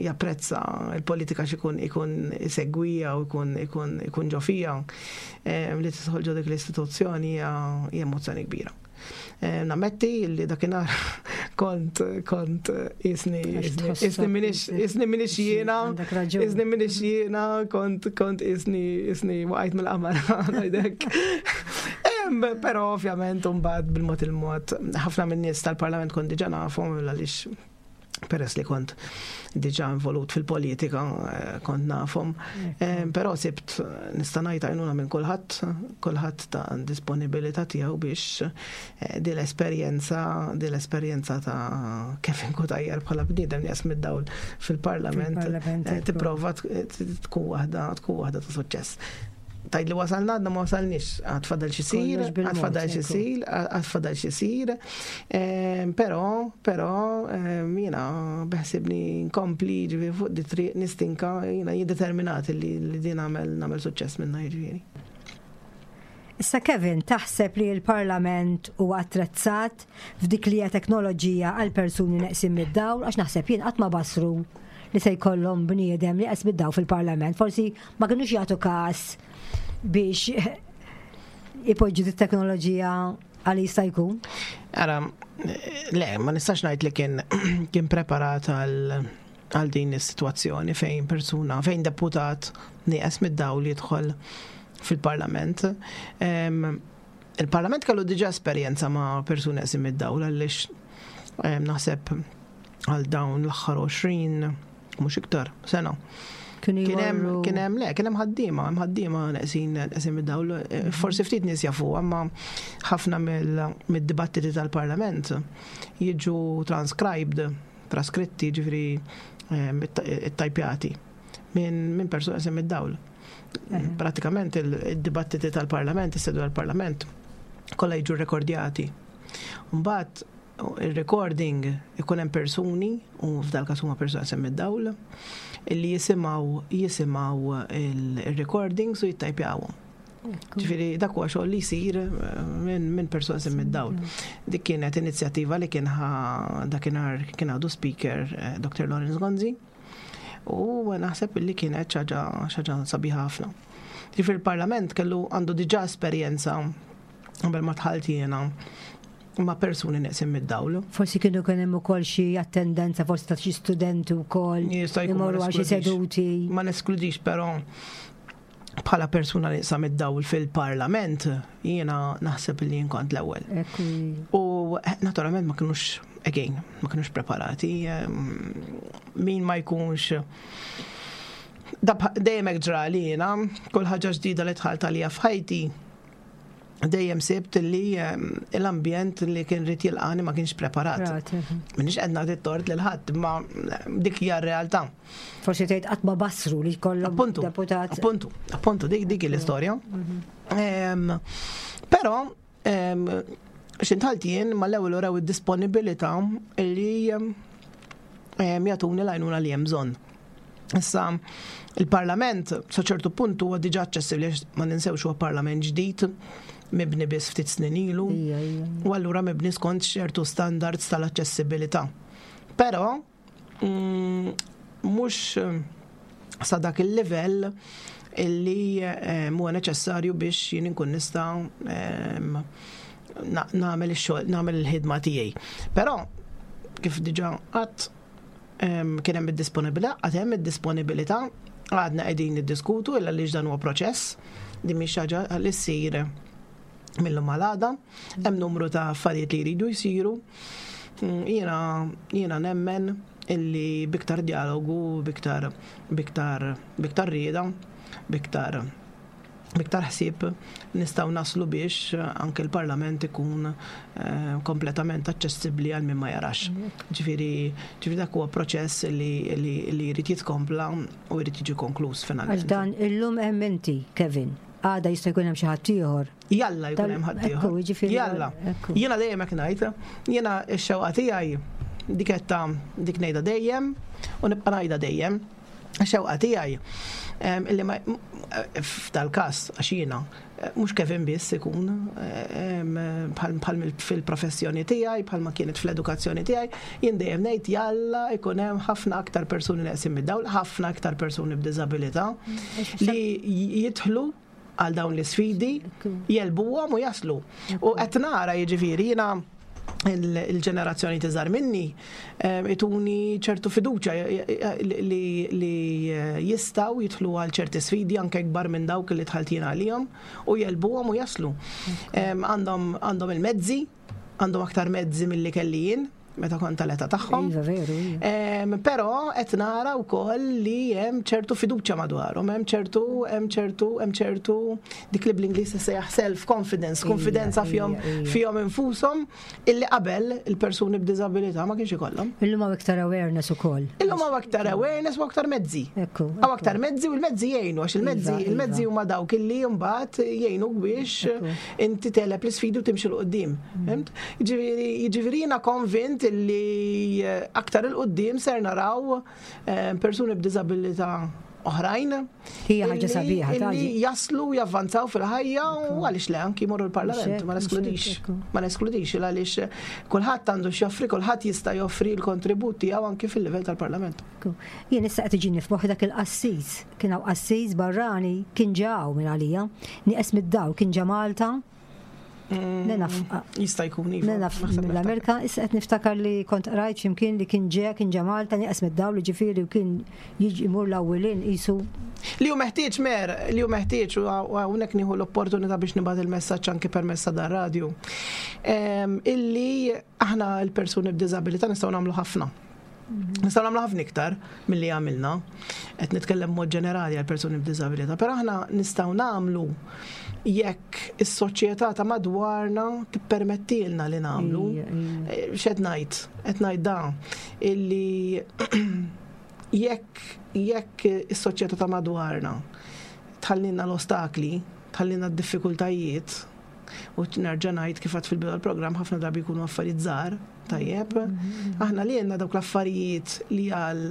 japprezza il-politika x'ikun ikun isegwija u ikun ikun ikun ġo fija eh, li tidħol ġo dik l-istituzzjoni hija emozzjoni kbira. Eh, nammetti li dakinhar kont kont isni isni minix isni minix jiena isni minix jiena kont kont isni isni waqajt mill-qamar ngħidek. Però ovvjament mbagħad bil-mod il-mod ħafna min-nies tal-Parlament kont diġà nafhom għaliex peress li kont diġa involut fil-politika, eh, kont nafhom. Eh, però sibt nista' ngħid għajnuna minn kulħadd, kulħadd ta' disponibilità tiegħu biex eh, din l-esperjenza, din l-esperjenza ta' Kevin Cutajar bħala bniedem li mid-dawl fil-Parlament tipprova tkun waħda tkun waħda ta' suċċess. Tgħid li wasalna għadna ma wasalniex, għad fadal xi sir, għad fadal xi sir, għad fadal xi sir. Ehm, però, però ehm, jiena beħsibni nkompli ġifieri fuq di triq nistinka jiena jiddeterminat li din nagħmel nagħmel suċċess minnha jiġifieri. Issa Kevin, taħseb li l-Parlament huwa attrezzat f'dik li hija teknoloġija għal persuni neqsin mid-dawl għax naħseb jien qatt ma basru li se jkollhom bniedem li qes mid-dawl fil-Parlament. Forsi ma kinux jagħtu każ biex ipoġġu dit-teknoloġija għal jista' jkun. Ara, le, ma nistax ngħid li kien kien preparat għal għal din is-sitwazzjoni fejn persuna, fejn deputat nieqes mid-dawl jidħol fil-parlament. Il-parlament kellu diġà esperjenza ma' persuni neqsin mid-dawl għaliex naħseb għal dawn l-aħħar 20 mhux iktar sena. Kien hemm kien hemm le, kien hemm ħaddiema, hemm ħaddiema neqsin neqsin mid-dawl. Eh, forsi ftit nies jafu, imma ħafna mid-dibattiti tal-Parlament jiġu transcribed, traskritti, ġifieri eh, it-tajpjati minn persuna neqsin mid-dawl. Eh. Pratikament il-dibattiti tal-Parlament, is-sedu tal-Parlament, kollha jiġu rekordjati. Mbagħad Ir-recording ikun hemm persuni, u f'dal każ huma persuni semmi d-dawl, illi jisimgħu jisimgħu il-recordings u jittajpjawhom. Ġifieri dak huwa xogħol li jsir eh, minn min persuna semmi d-dawl. Dik kienet inizjattiva li kien dakinhar kien għadu speaker eh, Dr. Lawrence Gonzi. U naħseb li kienet xaġa sabiħa ħafna. Ġifieri il-Parlament kellu għandu diġà esperjenza qabel ma dħalt jiena ma' persuni neqsin mid-dawl. Forsi kienu kien hemm ukoll xi attendenza forsi ta' xi studenti wkoll. Jista' jkun imorru għal xi seduti. Ma neskludix però bħala persuna li mid-dawl fil-parlament jiena naħseb li jien kont l-ewwel. U eh, naturalment ma kinux again, ma kinux preparati. Min ma jkunx dejjem hekk ġrali jiena, kull ħaġa ġdida li dħalt għalija f'ħajti dejjem sibt li ehm, l-ambjent li kien rid jilqani ma kienx preparat. Minix qed nagħti tort lil ħadd, ma dik hija r-realtà. Forsi tgħid qatt ma basru li jkollhom deputat. Appuntu, appuntu, dik dik l-istorja. Mhm. Ehm, però ehm, X'intħalt jien mal-ewwel urew id-disponibilità li jagħtuni l-għajnuna li hemm bżonn. Issa, il-Parlament sa ċertu punt huwa diġà aċċessibbli ma ninsewx huwa Parlament ġdid mibni biss ftit snin ilu. U allura mibni skont ċertu standards tal-aċċessibilità. Però mhux sa dak il-livell illi eh, huwa neċessarju biex jien inkun nista' ehm, nagħmel ix-xogħol, nagħmel il-ħidma tiegħi. Però kif diġà qatt ehm, kien hemm id-disponibilità, għad hemm id-disponibilità, għadna qegħdin niddiskutu illa li dan huwa proċess, din mhix ħaġa li ssir mill-lum għal għada, hemm numru ta' affarijiet li jridu jsiru. Mm, jiena jiena nemmen illi biktar dialogu, biktar biktar biktar rieda, biktar biktar ħsieb nistgħu naslu biex anke l-Parlament ikun eh, kompletament aċċessibbli għal min ma jarax. Ġifieri ġifieri dak huwa proċess li li jrid jitkompla u jrid jiġi konkluż finalment. Għax dan illum hemm inti, Kevin. Għada jista' jkun hemm xi ħadd ieħor. Jalla jkun hemm ħadd ieħor. Jalla. Jiena dejjem hekk ngħid, jiena x-xewqa tiegħi dik qed dik ngħidha dejjem u nibqa' ngħidha dejjem. X-xewqa tiegħi illi ma f'dal-każ għax jiena mhux Kevin biss ikun bħal fil-professjoni tiegħi, bħalma kienet fl-edukazzjoni tiegħi, jien dejjem ngħid jalla jkun hemm ħafna aktar persuni neqsin mid-dawl, ħafna aktar persuni b'diżabilità li jidħlu għal dawn l-isfidi, jegħlbuhom u jaslu. U qed nara jiġifieri jiena il-ġenerazzjoni tiżar minni ituni ċertu fiduċa li jistaw jidħlu għal ċerti sfidi anke kbar minn dawk li dħalt jien għalihom u jegħlbuhom u jaslu. Għandhom il-mezzi, għandhom aktar mezzi milli kelli jien meta kont tal-età tagħhom. Iva, veru. Iva. Però qed nara wkoll li hemm ċertu fiduċja madwarhom, hemm ċertu, hemm ċertu, hemm ċertu dik li bl-Ingliż sejjaħ self confidence, konfidenza fihom fihom infushom illi qabel il-persuni b'diżabilità ma kienx ikollhom. Illum hawn iktar awareness ukoll. Illum hawn aktar awareness u aktar mezzi. Ekku. Hawn aktar mezzi u l-mezzi jgħinu għax il-mezzi iva, il-mezzi iva. huma dawk illi mbagħad jgħinu biex inti teleb l-isfidi u timxi 'l quddiem. Fhimt? Jiġifieri jiġifieri jiena konvint illi eh, aktar 'il quddiem ser naraw eh, persuni b'diżabilità oħrajn. Hija ħaġa sabiħa, Illi jaslu javvanzaw fil-ħajja u għaliex le anki jmorru l-parlament, ma neskludix. Ma neskludix għaliex kulħadd għandu x'joffri, kulħadd jista' joffri l-kontribut tiegħu anki fil-livell tal-parlament. Jien issa qed iġini f'moħħi dak il-qassis, kien hawn qassis barrani kien ġaw minn għalija, nieqes mid-daw kien ġa Malta Mm, jista' jkun iva. Naf mill-Amerika, issa qed niftakar li kont qrajt x'imkien li kien ġe, kien ġa Malta nieqes mid-dawl ġifieri u kien jiġi imur l-awwilin qisu. Li hu meħtieġ mer, li hu meħtieġ u hawnhekk nieħu l-opportunità biex nibgħat il-messaġġ anke permezz ta' dan radju. Ehm, illi aħna l-persuni b'diżabilità nistgħu nagħmlu ħafna. Nistgħu nagħmlu ħafna iktar milli għamilna. Qed nitkellem mod ġenerali għal persuni b'diżabilità, però aħna nistgħu nagħmlu jekk is-soċjetà ta' madwarna tippermettilna li nagħmlu. Eh, x'qed ngħid? Qed ngħid da illi jekk jekk is-soċjetà ta' madwarna tħallilna l-ostakli, tħallilna d-diffikultajiet, U nerġa' ngħid kif għad fil-bidu tal-programm ħafna drabi jkunu affarijiet żgħar, tajjeb. Mm-hmm. Aħna li għandna dawk l-affarijiet li għal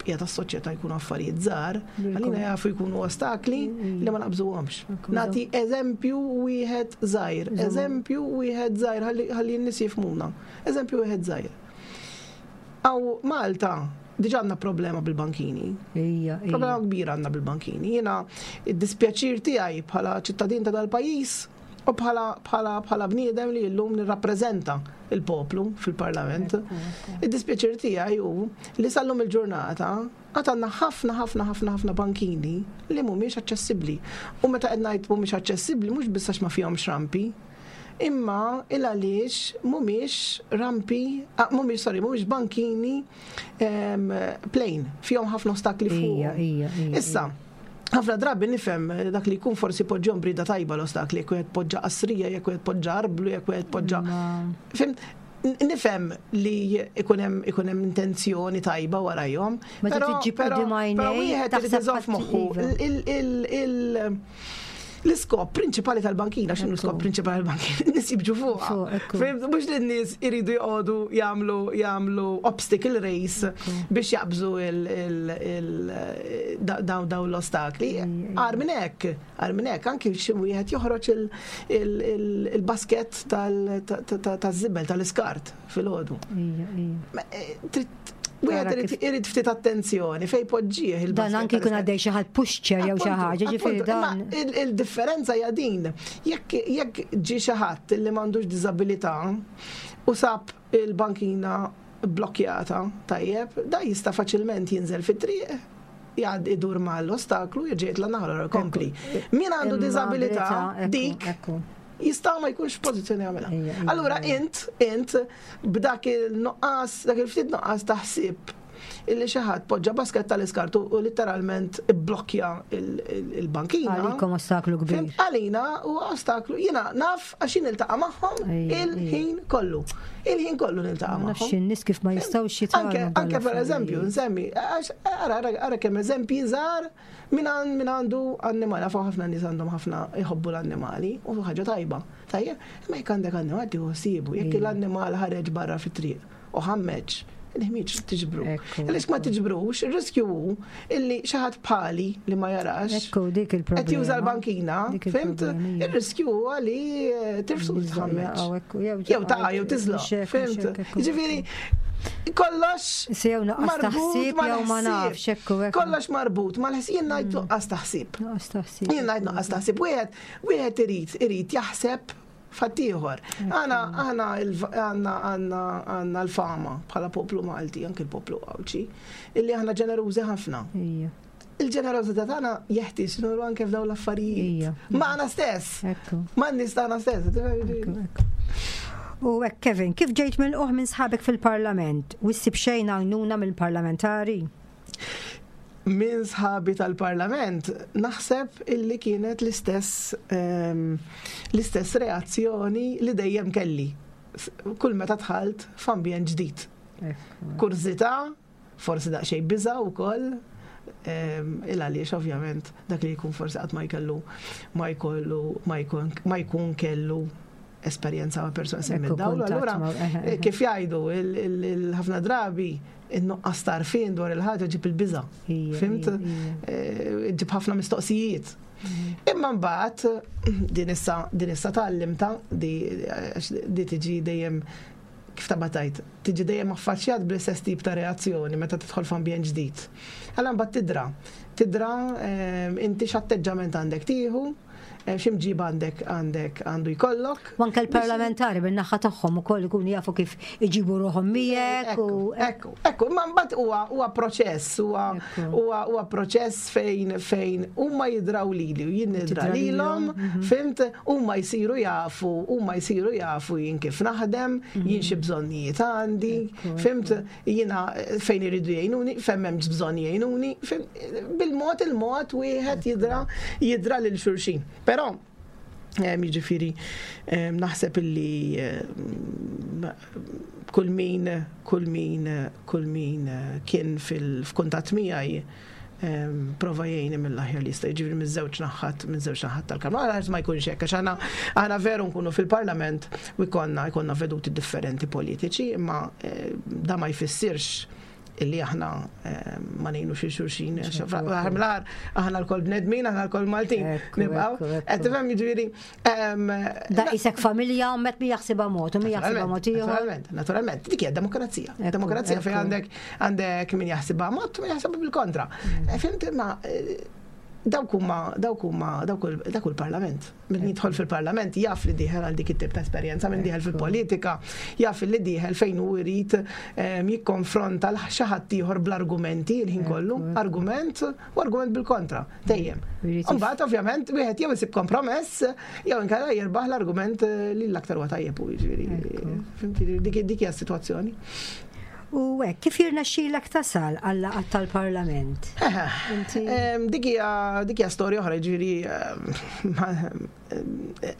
bqija tas-soċjetà jkunu affarijiet żgħar, għalina jafu jkunu ostakli mm-hmm. li ma naqbżuhomx. Nagħti eżempju wieħed żgħir, eżempju wieħed żgħir ħalli n-nies jifhmuna. Eżempju wieħed żgħir. Aw Malta diġa għandna problema bil-bankini. Ija, ija. Problema kbira għandna bil-bankini. Jiena id-dispjaċir tiegħi bħala ċittadin ta' dal-pajjiż u bħala bħala bħala bniedem li llum nirrappreżenta il-poplu fil-Parlament. Id-dispjaċir tiegħi hu li sal-lum il-ġurnata għad għandna ħafna ħafna ħafna ħafna bankini li mhumiex aċċessibbli. U meta qed ngħid mhumiex aċċessibbli mhux biss għax ma fihomx rampi, imma il għaliex mhumiex rampi, ah, mhumiex sorry, mhumiex bankini plain, fihom ħafna ostakli fuq. Issa, ħafna drabi nifhem dak li jkun forsi poġġhom brida tajba l-ostakli, jekk wieħed poġġa qasrija, jekk wieħed poġġa arblu, jekk wieħed poġġa. Fim, nifhem li ikun hemm intenzjoni tajba warajhom. Però wieħed irid iżomm f'moħħu il- L-iskop prinċipali tal-bankina, x'inhu l-iskop prinċipali tal-bankina? N-nies jibġu fuqha. Mhux li n-nies iridu joqogħdu jagħmlu jagħmlu obstacle race biex jaqbżu dawn dawn l-ostakli. Agħar minn hekk, agħar minn hekk, anki xi wieħed joħroġ il-basket taż-żibel tal-iskart filgħodu. Wieħed irid ftit attenzjoni fejn poġġih il Dan anki jkun għaddej xi ħadd pushchair jew xi ħaġa, ġifieri dan. Il-differenza hija din. Jekk ġie xi ħadd li m'għandux diżabilità u sab il-bankina blokkjata, tajjeb, da jista' faċilment jinżel fit-triq, jgħad idur mal-ostaklu, jerġa' jitla' naħa l-oħra jkompli. Min għandu diżabilità, dik jista' ma jkunx f'pożizzjoni jagħmilha. Allura int, int B'dak il-nuqqas, dak il-ftit nuqqas ta' ħsieb illi xi ħadd poġġa basket tal-iskart u litteralment ibblokkja il-bankina. Għalikom ostaklu kbir. Għalina u ostaklu. Jiena naf għax jien niltaqa' magħhom il-ħin kollu. Il-ħin kollu niltaqa' magħhom. Nafx in-nies kif ma jistgħux jitgħallmu. Anke pereżempju, nsemmi, ara kemm eżempji żgħar Min għandu annimal, nafu ħafna nies għandhom ħafna jħobbu l-annimali, u ħaġa tajba. Tajjeb, imma jekk għandek annimal tieħu ħsiebu, jekk l-annimal ħareġ barra fit-triq u ħammeġ, il-ħmieġ tiġbru. Għaliex ma tiġbrux, ir-riskju hu illi xi ħadd bħali li ma jarax. Ekku dik il-problema. Qed juża l-bankina, fimt? Ir-riskju huwa li eh, tirfsu tħammeġ. Jew taqa' jew tiżloq, fimt? Jiġifieri kollox Sew nuqqas taħsib jew ma nafx hekk u hekk. Kollox marbut mal-ħsieb jien ngħid mm. nuqqas taħsib. Nuqqas taħsib. Jien ngħid nuqqas taħsib. Wieħed wieħed irid irid jaħseb f'ħaddieħor. Aħna aħna għandna għandna għandna l-fama bħala poplu Malti, anke l-poplu Għawdxi, illi aħna ġenerużi ħafna. Il-ġenerożità tagħna jeħtieġ nuru anke f'dawn l-affarijiet. Magħna stess. Ma' nies tagħna stess. U hekk Kevin, kif ġejt milquh minn sħabek fil-Parlament u ssib xejn għajnuna mill-parlamentari? Minn sħabi tal-Parlament naħseb illi kienet l-istess ehm, l-istess reazzjoni li dejjem kelli kull meta dħalt f'ambjent ġdid. Kurżità, Forsi daqsxejn biża' wkoll, il għaliex ovvjament dak li jkun forsi qatt ma jkellu ma jkollu ma jkun kellu esperjenza ma' persuna semmi dawl. Allura eh, kif jgħidu ħafna drabi in-nuqqas tarfin dwar il-ħaġa ġib il-biża. Fimt? Eh, ġib ħafna mistoqsijiet. Mhm. Imma mbagħad din issa din issa tgħallimta di tiġi dejjem kif taqbad tgħid, tiġi dejjem affaċċjat bl-istess tip ta' reazzjoni meta tidħol f'ambjent ġdid. Allura mbagħad tidra, tidra ehm, inti x'atteġġament għandek tieħu, eh, x'imġiba għandek għandek għandu jkollok. U anke l-parlamentari bin-naħa tagħhom ukoll ikunu jafu kif iġibu ruħhom miegħek u ekku, ekku, imma mbagħad huwa huwa proċess, huwa huwa proċess fejn fejn huma jidraw lili u jien nidra lilhom, mhm. fimt, huma jsiru jafu, huma jsiru jafu jien kif naħdem, mhm. jien xi bżonnijiet għandi, fimt, jiena fejn iridu jgħinuni, fejn m'hemmx bżonn jgħinuni, bil-mod il-mod wieħed jidra jidra lil xulxin. Però Jiġifieri naħseb illi kull min kull min kull min kien fil-kuntatt miegħi prova jgħinni mill-aħjar li jista' jiġifieri miż-żewġ naħat minn żewġ naħat tal-kamra. Għax ma jkunx hekk għax aħna aħna veru nkunu fil-Parlament u jkollna jkollna veduti differenti politiċi, imma eh, da ma jfissirx illi aħna eh, ma ngħinu xi xulxin. Aħna aħna l-kol bnedmin, aħna l-kol Maltin. Nibqgħu. Qed tifhem jiġifieri. Da isek familja u met mi jaħsibha mod u mi jaħsibha mod ieħor. Naturalment, naturalment. Dik hija demokrazija. Demokrazija fejn għandek għandek min jaħsibha mod u min jaħsibha bil-kontra. Mm. Eh, fimt ma eh, dawk huma dawk huma dak il-parlament. Min jidħol fil-parlament jaf li dieħel għal dik it-tip ta' esperjenza, min dieħel fil-politika jaf li dieħel fejn hu jrid ehm, jikkonfronta l xi ħadd ieħor bl-argumenti l-ħin kollu, argument u argument bil-kontra, dejjem. Imbagħad ovvjament wieħed jew isib kompromess jew inkella jirbaħ l-argument eh, li l-aktar huwa tajjeb u jiġifieri. Dik hija s-sitwazzjoni. U hekk, kif jirnexxilek tasal għal-laqgħat tal-Parlament? Dik hija dik hija storja oħra, jiġifieri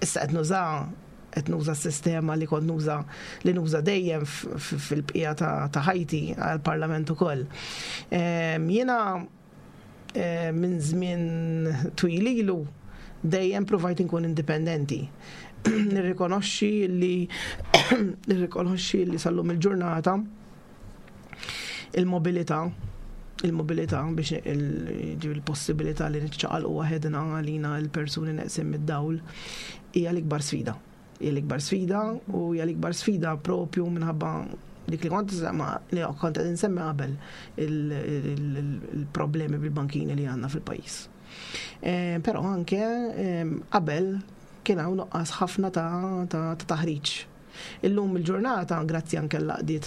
issa qed nuża qed nuża s-sistema li kont nuża li nuża dejjem fil-bqija ta' ħajti għall-Parlament ukoll. Jiena minn żmien twil ilu. Dejjem provajt inkun indipendenti. Nirrikonoxxi li nirrikonoxxi li sal-lum il-ġurnata il-mobilità il-mobilità biex il-possibilità li niċċaqalqu waħedna għalina l-persuni neqsin mid-dawl hija l-ikbar sfida. Hija l-ikbar sfida u hija l-ikbar sfida propju minħabba dik li kont li kont qed insemmi qabel il-problemi bil-bankini li għandna fil-pajjiż. Eh, però anke eh, qabel kien hawn nuqqas ħafna ta' taħriġ. Illum il-ġurnata, grazzi anke l-laqdiet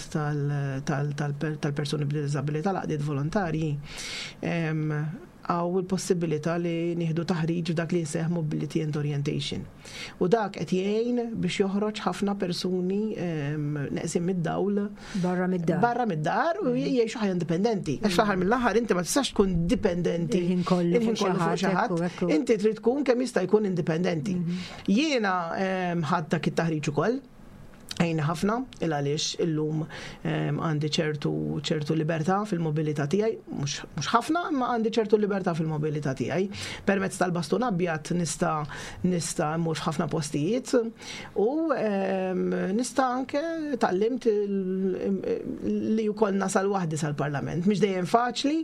tal-persuni b'diżabilità, l-għaqdiet volontarji, hawn il-possibilità li nieħdu taħriġ f'dak li jseħ Mobility and Orientation. U dak qed jgħin biex joħroġ ħafna persuni ehm, neqsin mid-dawl. Barra mid-dar. Barra mid-dar u mm. jgħixu ħajja indipendenti. Għax fl-aħħar mill-aħħar inti ma tistax tkun dipendenti. Il-ħin kollu fuq xi ħadd. Inti trid tkun kemm jista' jkun indipendenti. Mhm. Jiena ehm, ħadd dak it-taħriġ ukoll għajna ħafna il għaliex illum ehm, għandi ċertu ċertu libertà fil-mobilità tiegħi, mhux ħafna, imma għandi ċertu libertà fil-mobilità tiegħi. Permezz tal-bastun abjad nista' nista' mmur f'ħafna postijiet u ehm, nista' anke tgħallimt li wkoll nasal waħdi sal-Parlament. Mhix dejjem faċli,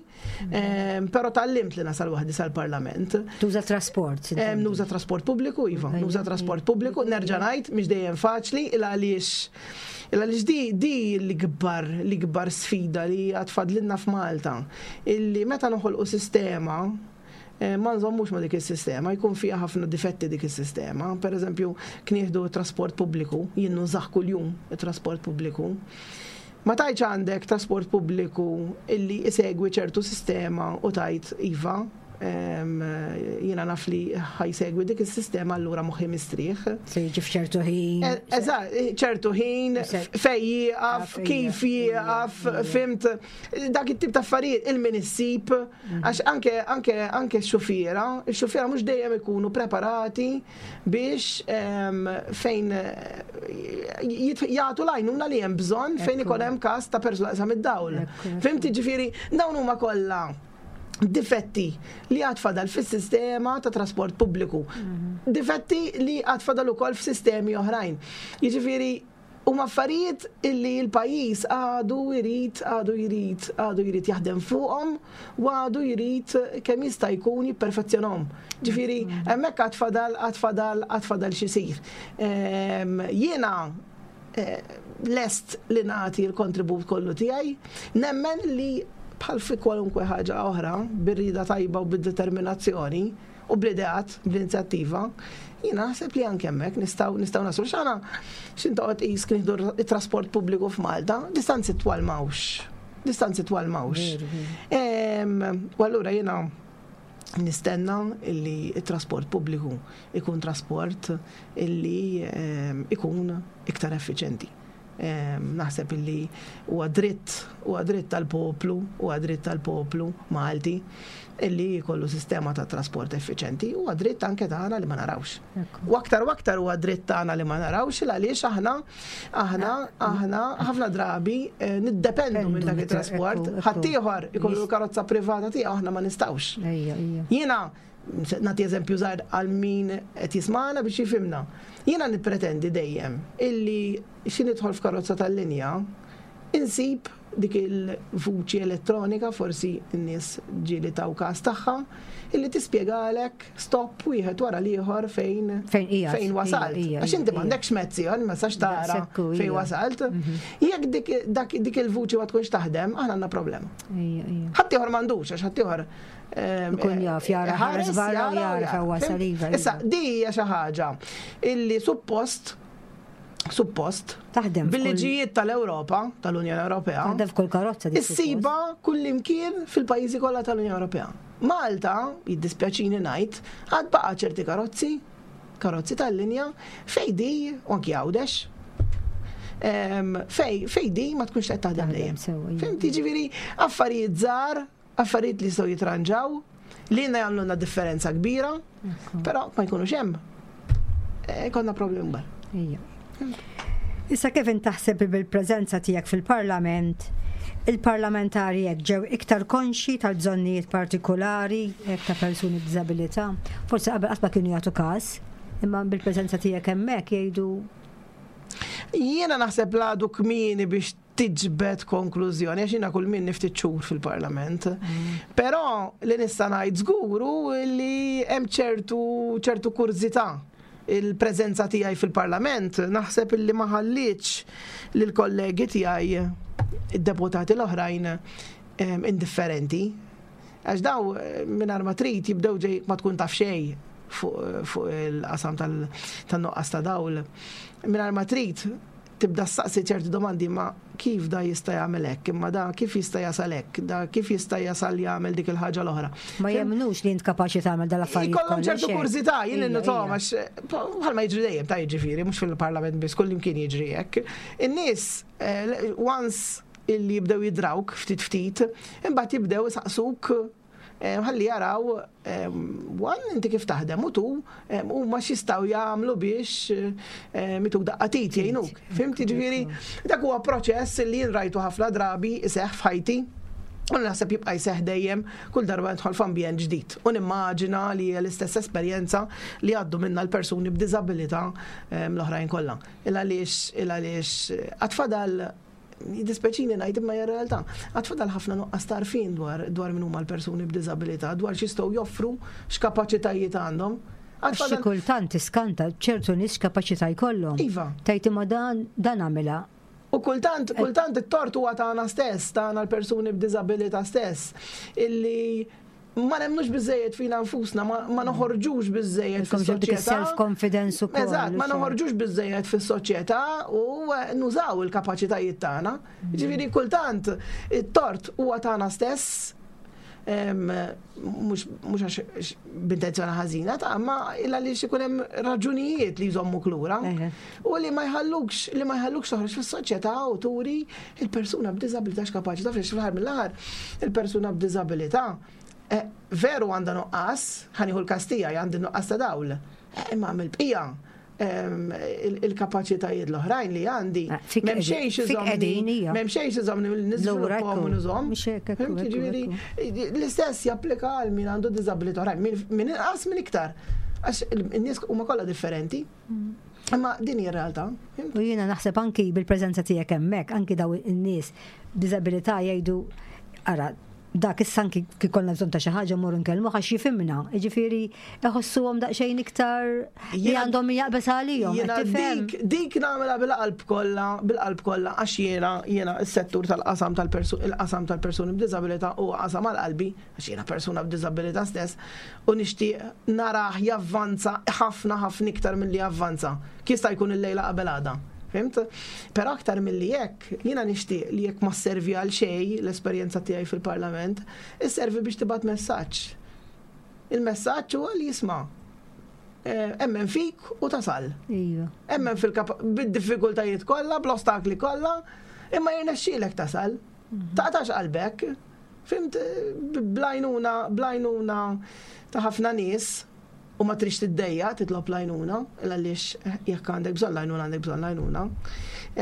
Però tgħallimt li nasal waħdi sal-Parlament. Tuża trasport. Nuża trasport pubbliku, iva, nuża trasport pubbliku, nerġa' ngħid mhix dejjem faċli il għaliex il għaliex di di l-ikbar l-ikbar sfida li għad fadlilna f'Malta illi meta noħolqu sistema eh, ma nżommux ma dik is-sistema, jkun fiha ħafna difetti dik is-sistema. Per eżempju, knieħdu trasport pubbliku, jien nużah kuljum it-trasport pubbliku. Ma tgħidx għandek trasport pubbliku illi isegwi ċertu sistema u tgħid iva, jiena naf li ħa jsegwi dik is-sistema allura moħħi mistrieħ. Se jiġi f'ċertu ħin. E, eżatt, ċertu ħin, fej jieqaf, kif jieqaf, fimt, dak it-tip ta' affarijiet il-min issib, mhm. għax anke anke anke x-xufiera, x-xufiera mhux dejjem ikunu preparati biex fejn jagħtu l-għajnuna li hemm bżonn fejn ikun hemm każ ta' persuna qasam id-dawl. Fimti ġifieri dawn huma kollha difetti li għad fadal fis-sistema ta' trasport pubbliku. Mhm. Difetti li għad fadal ukoll f'sistemi oħrajn. Jiġifieri Huma affarijiet illi l-pajjiż għadu jrid, għadu jrid, għadu jrid jaħdem fuqhom u għadu jrid kemm jista' jkun jipperfezzjonahom. Ġifieri hemmhekk għad fadal, għad fadal, għad fadal x'isir. Ehm, jiena eh, lest li nagħti l-kontribut kollu tiegħi, nemmen li bħal fi kwalunkwe ħaġa oħra, bir-rieda tajba u bid-determinazzjoni, u bl-ideat, bl-inizjattiva, jiena naħseb li anke hemmhekk nistgħu nistgħu naslu. X'għana x'in toqgħod qis kien nieħdu it-trasport pubbliku f'Malta, distanzi twal m'hawnx. Distanzi twal m'hawnx. U allura jiena nistenna illi it-trasport pubbliku ikun trasport illi ikun iktar effiċenti. Naħseb illi huwa dritt, huwa dritt tal-poplu, huwa dritt tal-poplu Malti illi jkollu sistema ta' trasport effiċenti, huwa dritt anke tagħna li ma narawx. U aktar u aktar huwa dritt tagħna li ma narawx il għaliex aħna aħna aħna ħafna drabi eh, niddependu minn dak it-trasport. Ħaddieħor ikollu karozza privata tiegħu aħna ma nistgħux. Jiena Nagħti eżempju żgħir għal min qed jismagħna biex jifhimna. Jiena nippretendi dejjem illi xi nidħol f'karozza tal-linja insib dik il-vuċi elettronika, forsi n-nies ġieli taw każ tagħha, illi tispjegalek stop wieħed wara l-ieħor fejn fejn wasalt. Għax inti m'għandekx mezzi, ma sax tara fejn wasalt. Mhm. Jekk dik il-vuċi ma tkunx taħdem, aħna għandna problema. Ħaddieħor m'għandux, għax ħaddieħor Ikun jaf jara ħares barra u jara fejn wasal iva. Issa, di hija xi ħaġa illi suppost suppost taħdem bil-liġijiet tal-Ewropa, tal-Unjoni Ewropea. Taħdem f'kull karozza. Issiba kullimkien fil-pajjiżi kollha tal-Unjoni Ewropea. Malta, jiddispjaċini ngħid, għad baqa' ċerti karozzi, karozzi tal-linja, fej di, u anki Għawdex, fej, fej di ma tkunx qed taħdem dejjem. Fimti ġifieri affarijiet żgħar Affarijiet li jistgħu jitranġaw, li jenna jagħmlulna differenza kbira, però ma jkunux hemm. Eh, konna problemi kbar. Issa kif taħseb bil-preżenza tiegħek fil-Parlament, Il-parlamentari hekk ġew iktar konxji tal-bżonnijiet partikulari hekk ta' persuni b'diżabilità. Forsi qabel qatt ma kienu jagħtu każ, imma bil-preżenza tiegħek hemmhekk jgħidu Jiena naħseb l-għadu kmieni biex tiġbed konklużjoni, għax jiena kull min ftit xhur fil-Parlament. Però li nista' ngħid żgur hu li hemm ċertu ċertu kurżità il-preżenza tiegħi fil-Parlament naħseb illi ma ħallietx lill-kollegi tiegħi id-deputati l-oħrajn indifferenti. Għax daw mingħajr ma trid jibdew ġej ma tkun taf xejn fuq il-qasam tan-nuqqas ta' dawl. Mingħajr ma trid tibda ssaqsi ċerti domandi ma kif da jista' jagħmel hekk, imma da kif jista' jasal hekk, da kif jista' jasal jagħmel dik il-ħaġa l-oħra. Ma jemmnux li int kapaċi tagħmel dal-affarijiet. Ikollhom ċertu kurżità, jien innotom għax bħalma jiġri dejjem ta' jiġifieri mhux fil-Parlament biss kull imkien jiġri hekk. In-nies eh, once illi jibdew jidrawk ftit ftit, imbagħad jibdew isaqsuk eh, ħalli jaraw eh, one inti kif taħdem u tu eh, huma x'jistgħu jagħmlu biex mituk daqqa tit jgħinuk. Fhimt jiġifieri dak huwa proċess li jien rajtu ħafna drabi iseħħ f'ħajti. U naħseb jibqa' jseħħ dejjem kull darba nidħol f'ambjent ġdid. U nimmaġina li hija l-istess esperjenza li għaddu minna l-persuni b'diżabilità l-oħrajn kollha. Il għaliex il għaliex għad fadal Jiddispjaċini ngħid imma hija realtà. Għad fadal ħafna nuqqas ta' għarfien dwar dwar min huma l-persuni b'diżabilità, dwar x'jistgħu joffru, x'kapaċitajiet għandhom. Għax xi kultant tiskanta ċertu nies x'kapaċità jkollhom. Iva. Tgħid imma dan dan għamilha. U kultant, kultant it-tort huwa tagħna stess, tagħna l-persuni b'diżabilità stess, illi ma nemmnux biżejjed fina nfusna, ma noħorġux biżejjed fis-soċjetà. Self-confidence ukoll. Eżatt, ma noħorġux biżejjed fis-soċjetà u eh, nużaw il-kapaċitajiet tagħna. Ġifieri kultant it-tort huwa tagħna stess mhux għax b'intenzjoni ħażina ta' ma illa li ikun hemm raġunijiet li jżommuk lura u li ma jħallukx li ma jħallukx toħroġ fis-soċjetà u turi Il-persuna b'diżabilità x'kapaċi taf li fl-aħħar mill-aħħar il-persuna b'diżabilità eh, veru għandha nuqqas, ħanieħu l-każ tiegħi għandi nuqqas ta' dawl, eh, imma mill-bqija ehm, il-kapaċitajiet l-oħrajn li għandi. Eh, m'hemm xejn iżomni, m'hemm xejn iżomni niżviluppahom u nużhom. L-istess japplika għal min għandu diżabilità oħrajn, min inqas min iktar. Għax in-nies huma kollha differenti. Imma din hija realtà. U jiena naħseb anki bil-preżenza tiegħek hemmhekk, anki daw in-nies b'diżabilità jgħidu ara dak issa anki kif konna bżonn ta' xi ħaġa mmorru nkellmuh għax jifhimna. Jiġifieri iħossuhom daqsxejn iktar li għandhom min jaqbeż għalihom. Jiena dik dik nagħmilha bil-qalb kollha, bil-qalb kollha għax jiena jiena s-settur tal-qasam tal-persu il-qasam tal-persuni b'diżabilità huwa qasam għal qalbi. għax jiena persuna b'diżabilità stess, u nixtieq narah javvanza ħafna ħafna iktar milli avvanza. Jista' jkun illejla qabel għada. Fhimt? Però aktar milli hekk, jiena nixtieq li jekk ma sservi għal xejn l-esperjenza tiegħi fil-Parlament, isservi biex tibgħat messaġġ. Il-messaġġ huwa li jisma' eh, emmen fik u tasal. Iva. Emmen fil-bid-diffikultajiet kollha, bl-ostakli kollha, imma jirnexxielek tasal. Mhm. Taqtax qalbek. Fimt, blajnuna, blajnuna ta' ħafna nies u ma trix tiddejja titlob lajnuna, għaliex jekk għandek bżonn lajnuna għandek bżonn lajnuna.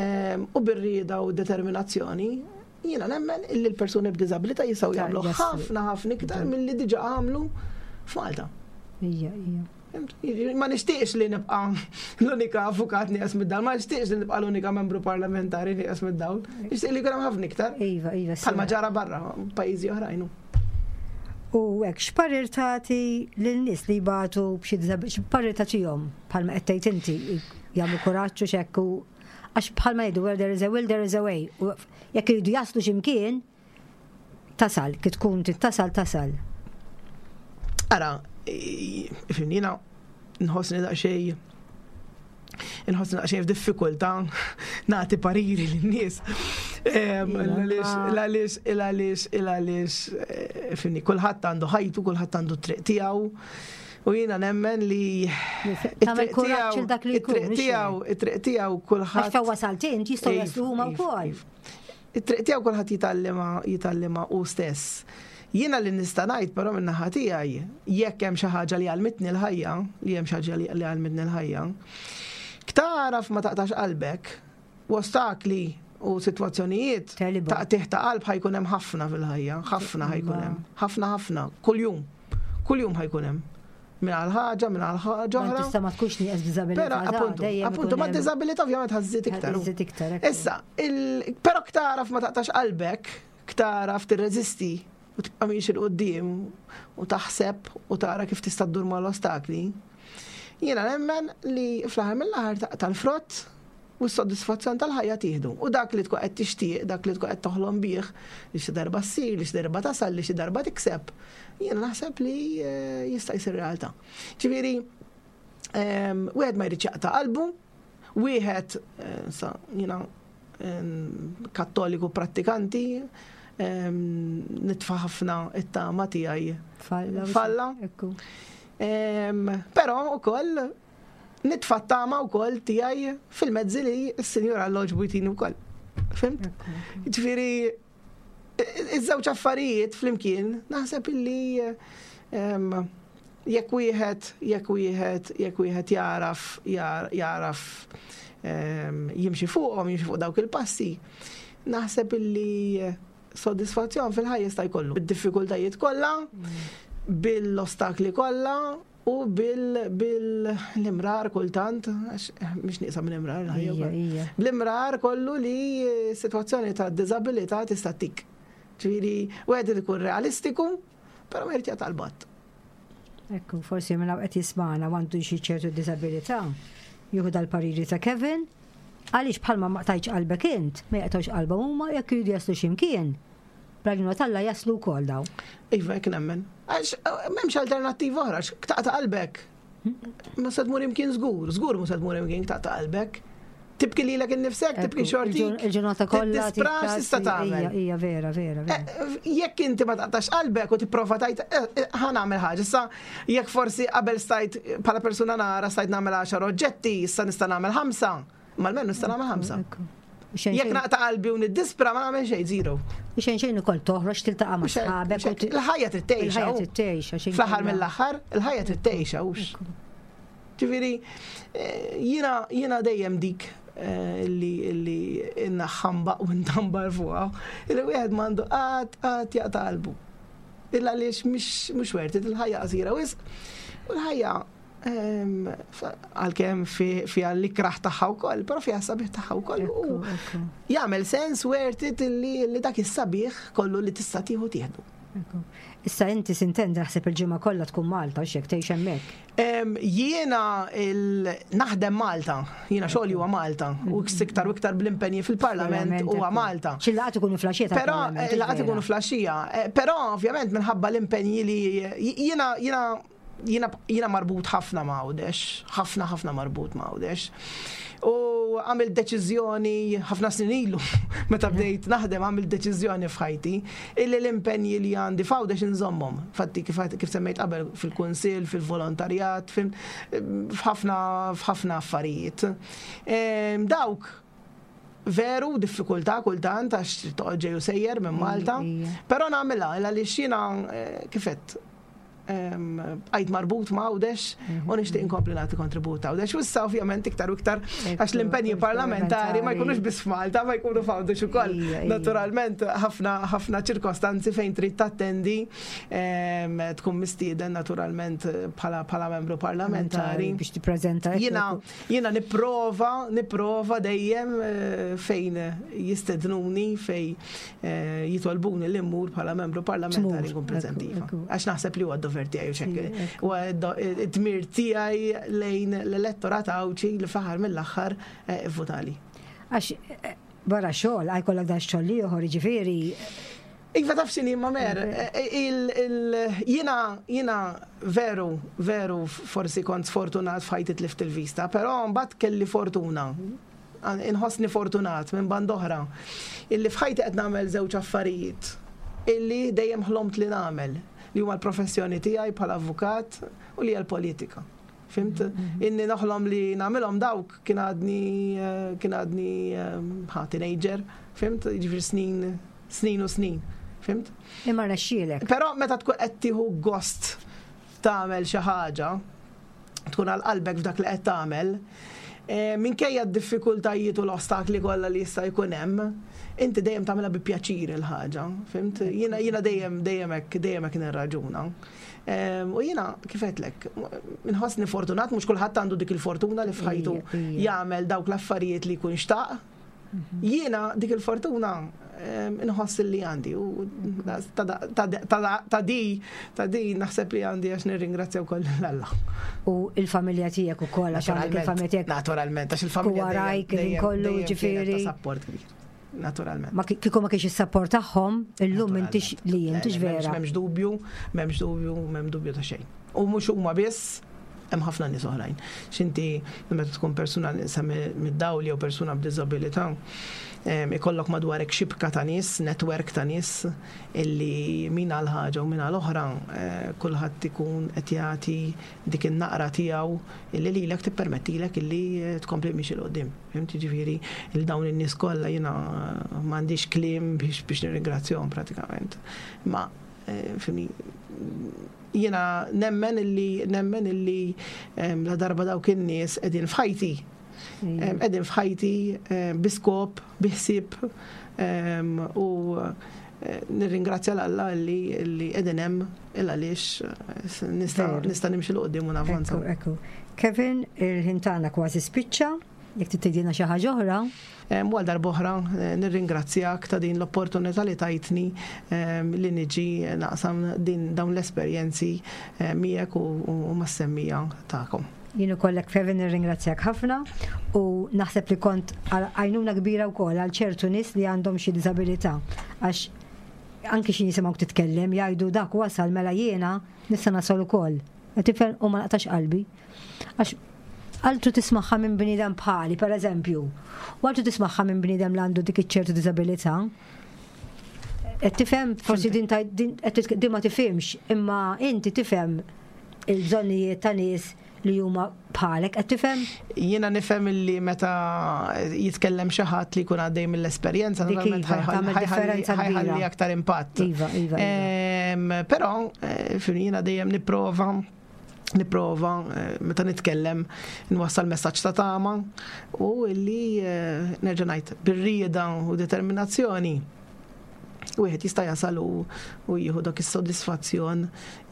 Ehm, u bir-rieda u determinazzjoni, jiena nemmen illi l-persuni b'diżabilità jistgħu jagħmlu ħafna ħafna iktar milli diġà għamlu f'Malta. Ija, ija. Ma nixtieqx li nibqa' l-unika avukat nieqes mid-dawl, ma nixtieqx li nibqa' l-unika membru parlamentari nieqes mid-dawl. Nixtieq li jkun hemm ħafna iktar. Iva, iva. Bħalma ġara barra pajjiżi oħrajn. U hekk x'parir tagħti lin-nies li jbatu b'xi x'parir tagħtihom bħalma qed tgħid inti jagħmlu kuraġġ u x'hekk u għax bħalma jgħidu where there is a will there is a way. Jekk iridu jaslu x'imkien, Tasal, kif tkun trid tasal, tasal. Ara, fimni, jiena nħossni daqsxejn inħossni daqsxejn f'diffikultà nagħti pariri lin-nies. Għaliex, għaliex, għaliex, eh, fimni, kulħadd għandu ħajtu, kulħadd għandu triq tiegħu. U jiena nemmen li it-triq tiegħu, it-triq tiegħu kulħadd. Għax fejn wasalt int jistgħu jaslu huma iva, wkoll. Iva. It-triq tiegħu kulħadd jitgħallimha jitgħallimha hu stess. Jiena li nista' ngħid però min-naħa tiegħi, jekk hemm xi ħaġa li għallmitni l-ħajja, li hemm xi ħaġa li għallmitni l-ħajja, tagħraf ma taqtax qalbek, u ostakli u sitwazzjonijiet ta' tieħ ta' qalb ħajkun hemm ħafna fil-ħajja, ħafna ħajkun hemm, ħafna ħafna, kuljum, kuljum ħajkun hemm. Minn għal ħaġa, minn għal ħaġa oħra. Tista' ma tkunx nieqes b'diżabilità. Però appuntu, appuntu ma' diżabilità ovvjament ħażżid iktar. Ħażżid iktar. Issa, però ktaraf ma taqtax qalbek, ktaraf tirreżisti u tibqa' miexi 'l quddiem u taħseb u tara kif tista' ddur mal-ostakli, jiena nemmen li fl-aħħar mill-aħħar taqta' l-frott u s-sodisfazzjon tal-ħajja tieħdu. U dak li tkun qed tixtieq, dak li tkun qed toħlom bih, li xi darba ssir, li xi darba tasal, li xi darba tikseb, jiena naħseb li eh, jista' jsir realtà. Ġifieri, ehm, wieħed ma jridx jaqta' qalbu, wieħed eh, sa jiena Kattoliku prattikanti, nitfa' ħafna it-tama tiegħi falla. Però ukoll nitfa' t-tama wkoll tiegħi fil-mezzi li s-Sinjur Alla għoġbu jtini wkoll. Fimt? Ġifieri iż-żewġ affarijiet flimkien naħseb illi jekk wieħed jekk wieħed jekk wieħed jaraf jaraf jimxi fuqhom, jimxi fuq dawk il-passi, naħseb illi sodisfazzjon fil-ħajja jista' jkollu. Bid-diffikultajiet kollha, bil-ostakli kollha, U bil-imrar kultant, għax mhix nieqsa minn imrar il-ħajja. Bl-imrar kollu li sitwazzjoni ta' diżabilità tista' tik. Ġifieri, wieħed irid ikun realistiku, però ma jrid jaqta' l-batt. Ekku, forsi minn qed jismagħna għandu xi ċertu diżabilità, jieħu dal-pariri ta' Kevin, għaliex bħalma ma qtajtx qalbek int, ma jaqtgħux qalbhom huma jekk iridu jaslu xi mkien. Bl-għajnuna t'Alla jaslu wkoll dawn. Iva, hekk nemmen. Għax eh, m'hemmx alternattiva oħra, għax taqta' qalbek. Ma se tmur imkien żgur, żgur ma se tmur imkien taqta' qalbek. Tibki lilek innifsek, tibki xorti. Il-ġurnata kollha. Tispra x'tista' tagħmel. Hija vera, vera. Eh, jekk inti ma taqtax qalbek u tipprova tajt eh, ħa nagħmel ħaġa. Issa jekk forsi qabel stajt bħala persuna nara stajt nagħmel 10 oġġetti, issa nista' nagħmel ħamsa. Ma l-menu nista' nagħmel ħamsa. Jekk naqta' qalbi u niddispra ma nagħmel xejn, zero. U xejn xejn ukoll toħroġ tiltaqa' ma' sħabek. Il-ħajja trid tgħixha. Il-ħajja trid tgħixha. Fl-aħħar mill-aħħar, il-ħajja trid tgħixha hux. Ġifieri, eh, jiena jiena dejjem dik eh, li li innaħħamba u ntambar fuqha, li wieħed m'għandu qatt qatt jaqta' qalbu. Illa għaliex mhux worth it, il-ħajja qasira wisq. U l-ħajja għalkemm fiha l-ikraħ tagħha wkoll, però fiha sabiħ tagħha wkoll. U jagħmel sens worth it li dak is-sabiħ kollu li tista' tieħu tieħdu. Issa inti sintendi naħseb il-ġimgħa kollha tkun Malta x'jekk tgħix hemmhekk. Jiena naħdem Malta, jiena xogħli huwa Malta u iktar u iktar bl-impenji fil-Parlament huwa Malta. Xi laqgħat ikunu flaxija Però eh, laqgħat ikunu flaxija, eh, però ovvjament minħabba l-impenji li jiena jiena jiena jiena marbut ħafna ma' Għawdex, ħafna ħafna marbut ma' Għawdex. U għamilt deċiżjoni ħafna snin ilu, meta bdejt naħdem għamilt deċiżjoni f'ħajti illi l-impenji li għandi f'Għawdex inżommhom. Fatti kif, kif semmejt qabel fil-kunsill, fil-volontarjat, f'ħafna f'ħafna affarijiet. Ehm, dawk veru diffikultà kultant għax toqgħod ġej u sejjer minn Malta, però nagħmilha għaliex jiena eh, kifet bqajt marbut ma' Għawdex u nixtieq inkompli nagħti kontribut Għawdex. U issa ovvjament iktar u iktar għax l-impenji parlamentari ma jkunux biss f'Malta, ma jkunu f'Għawdex ukoll. Naturalment ħafna ħafna ċirkostanzi fejn trid tattendi tkun mistieden naturalment bħala bħala membru parlamentari. Biex tippreżenta. Jiena jiena nipprova nipprova dejjem eh, fejn jistednuni fejn Eh, jitolbuni li mmur bħala membru parlamentari nkun preżenti. Iva. Għax naħseb li huwa d-dover tiegħi u xekk. Huwa d-dmir tiegħi lejn l-elettorat Għawdxi li fl-aħħar mill-aħħar eh, votali. Għax eh, barra xogħol, għaj kollok dan xogħol ieħor, jiġifieri. Iva taf xini ma mer, jina, jina veru, veru forsi kont sfortunat f'ħajti tlift il-vista, pero mbagħad kelli fortuna Inħossni fortunat minn band'oħra illi f'ħajti qed nagħmel żewġ affarijiet illi dejjem ħlomt li nagħmel, li huma l-professjoni tiegħi bħala avukat u li hija l-politika. Fimt? Mhm. Inni noħlom li nagħmilhom dawk kien għadni kien għadni ħa teenager, fimt? Jiġifieri snin snin u snin. Fimt? Imma rnexxielek. Però meta tkun qed tieħu gost tagħmel xi ħaġa, tkun għal qalbek f'dak li qed tagħmel. Minkejja d-diffikultajiet u l-ostakli kollha li jista' jkun hemm, inti dejjem tagħmilha bi pjaċir il-ħaġa, fhimt? Jiena jiena dejjem dejjem hekk dejjem hekk nirraġuna. U jiena kif għedtlek, inħossni fortunat mhux kulħadd għandu dik il-fortuna li f'ħajtu jagħmel dawk l-affarijiet li jkun xtaq. Jiena dik il-fortuna inħoss li għandi u ta' di ta' di naħseb li għandi għax nirringrazzja wkoll lil Alla. U il-familja tiegħek ukoll għax għandek il-familja tiegħek. Naturalment, għax il-familja warajk kollu ġifieri. Ta' support kbir. Naturalment. Ma kieku ma kienx is-support tagħhom, illum intix li intix vera. M'hemmx dubju, m'hemmx dubju, m'hemm dubju ta' xejn. U mhux huma biss, hemm ħafna nies oħrajn. X'inti meta tkun persuna nieqsa mid-dawl jew persuna b'diżabilità, ikollok madwarek xibka ta' nies, netwerk ta' nies illi min għal ħaġa u min għal oħra eh, kulħadd ikun qed jagħti dik in-naqra tiegħu illi lilek tippermettilek illi eh, tkompli miexi 'l quddiem. Fhimt jiġifieri il dawn in-nies kollha jiena m'għandix kliem biex biex nirringrazzjahom pratikament. Ma eh, fimni Jiena nemmen illi nemmen illi la darba dawk in-nies qegħdin f'ħajti. Qegħdin f'ħajti bi skop, bi ħsieb u eh, nirringrazzja l-Alla li li qegħdin hemm il għaliex eh, nista' nista' nimxi l qudiem u navvanza. Ekku, Kevin, il-ħin tagħna kważi spiċċa. Jekk trid tgħidilna xi ħaġa oħra. U għal darb'oħra eh, nirringrazzjak ta' din l-opportunità li tajtni li niġi naqsam din dawn l-esperjenzi eh, miegħek u mas-semmija tagħkom. Jien ukoll hekk Kevin nirringrazzjak ħafna u naħseb li kont għajnuna kbira wkoll għal ċertu nies li għandhom xi diżabilità għax anki xi jisimgħuk titkellem jgħidu dak wasal mela jiena nista' nasal ukoll. Tifhem u ma naqtax qalbi. Għax altru tismagħha minn bniedem bħali, per eżempju, u altru tismagħha minn bniedem li għandu dik iċ-ċertu diżabilità. Qed tifhem, forsi din din ma tifhimx, imma inti tifhem il-bżonnijiet ta' nies li huma bħalek, qed tifhem? Jiena nifhem illi meta jitkellem xi ħadd li jkun għaddej mill-esperjenza, naturalment iva, ħajħalli aktar impatt. Iva, iva. iva. Però eh, jiena dejjem nipprova nipprova eh, meta nitkellem nwassal messaġġ ta' tama u illi eh, nerġa' ngħid bir-rieda u determinazzjoni wieħed jista' jasal u jieħu dak is-sodisfazzjon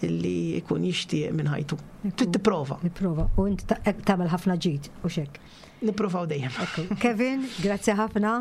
illi jkun jixtieq minn ħajtu. Trid tipprova. Tipprova. U inti tagħmel ħafna ġid u xek. Nipprovaw dejjem. Kevin, grazzi ħafna.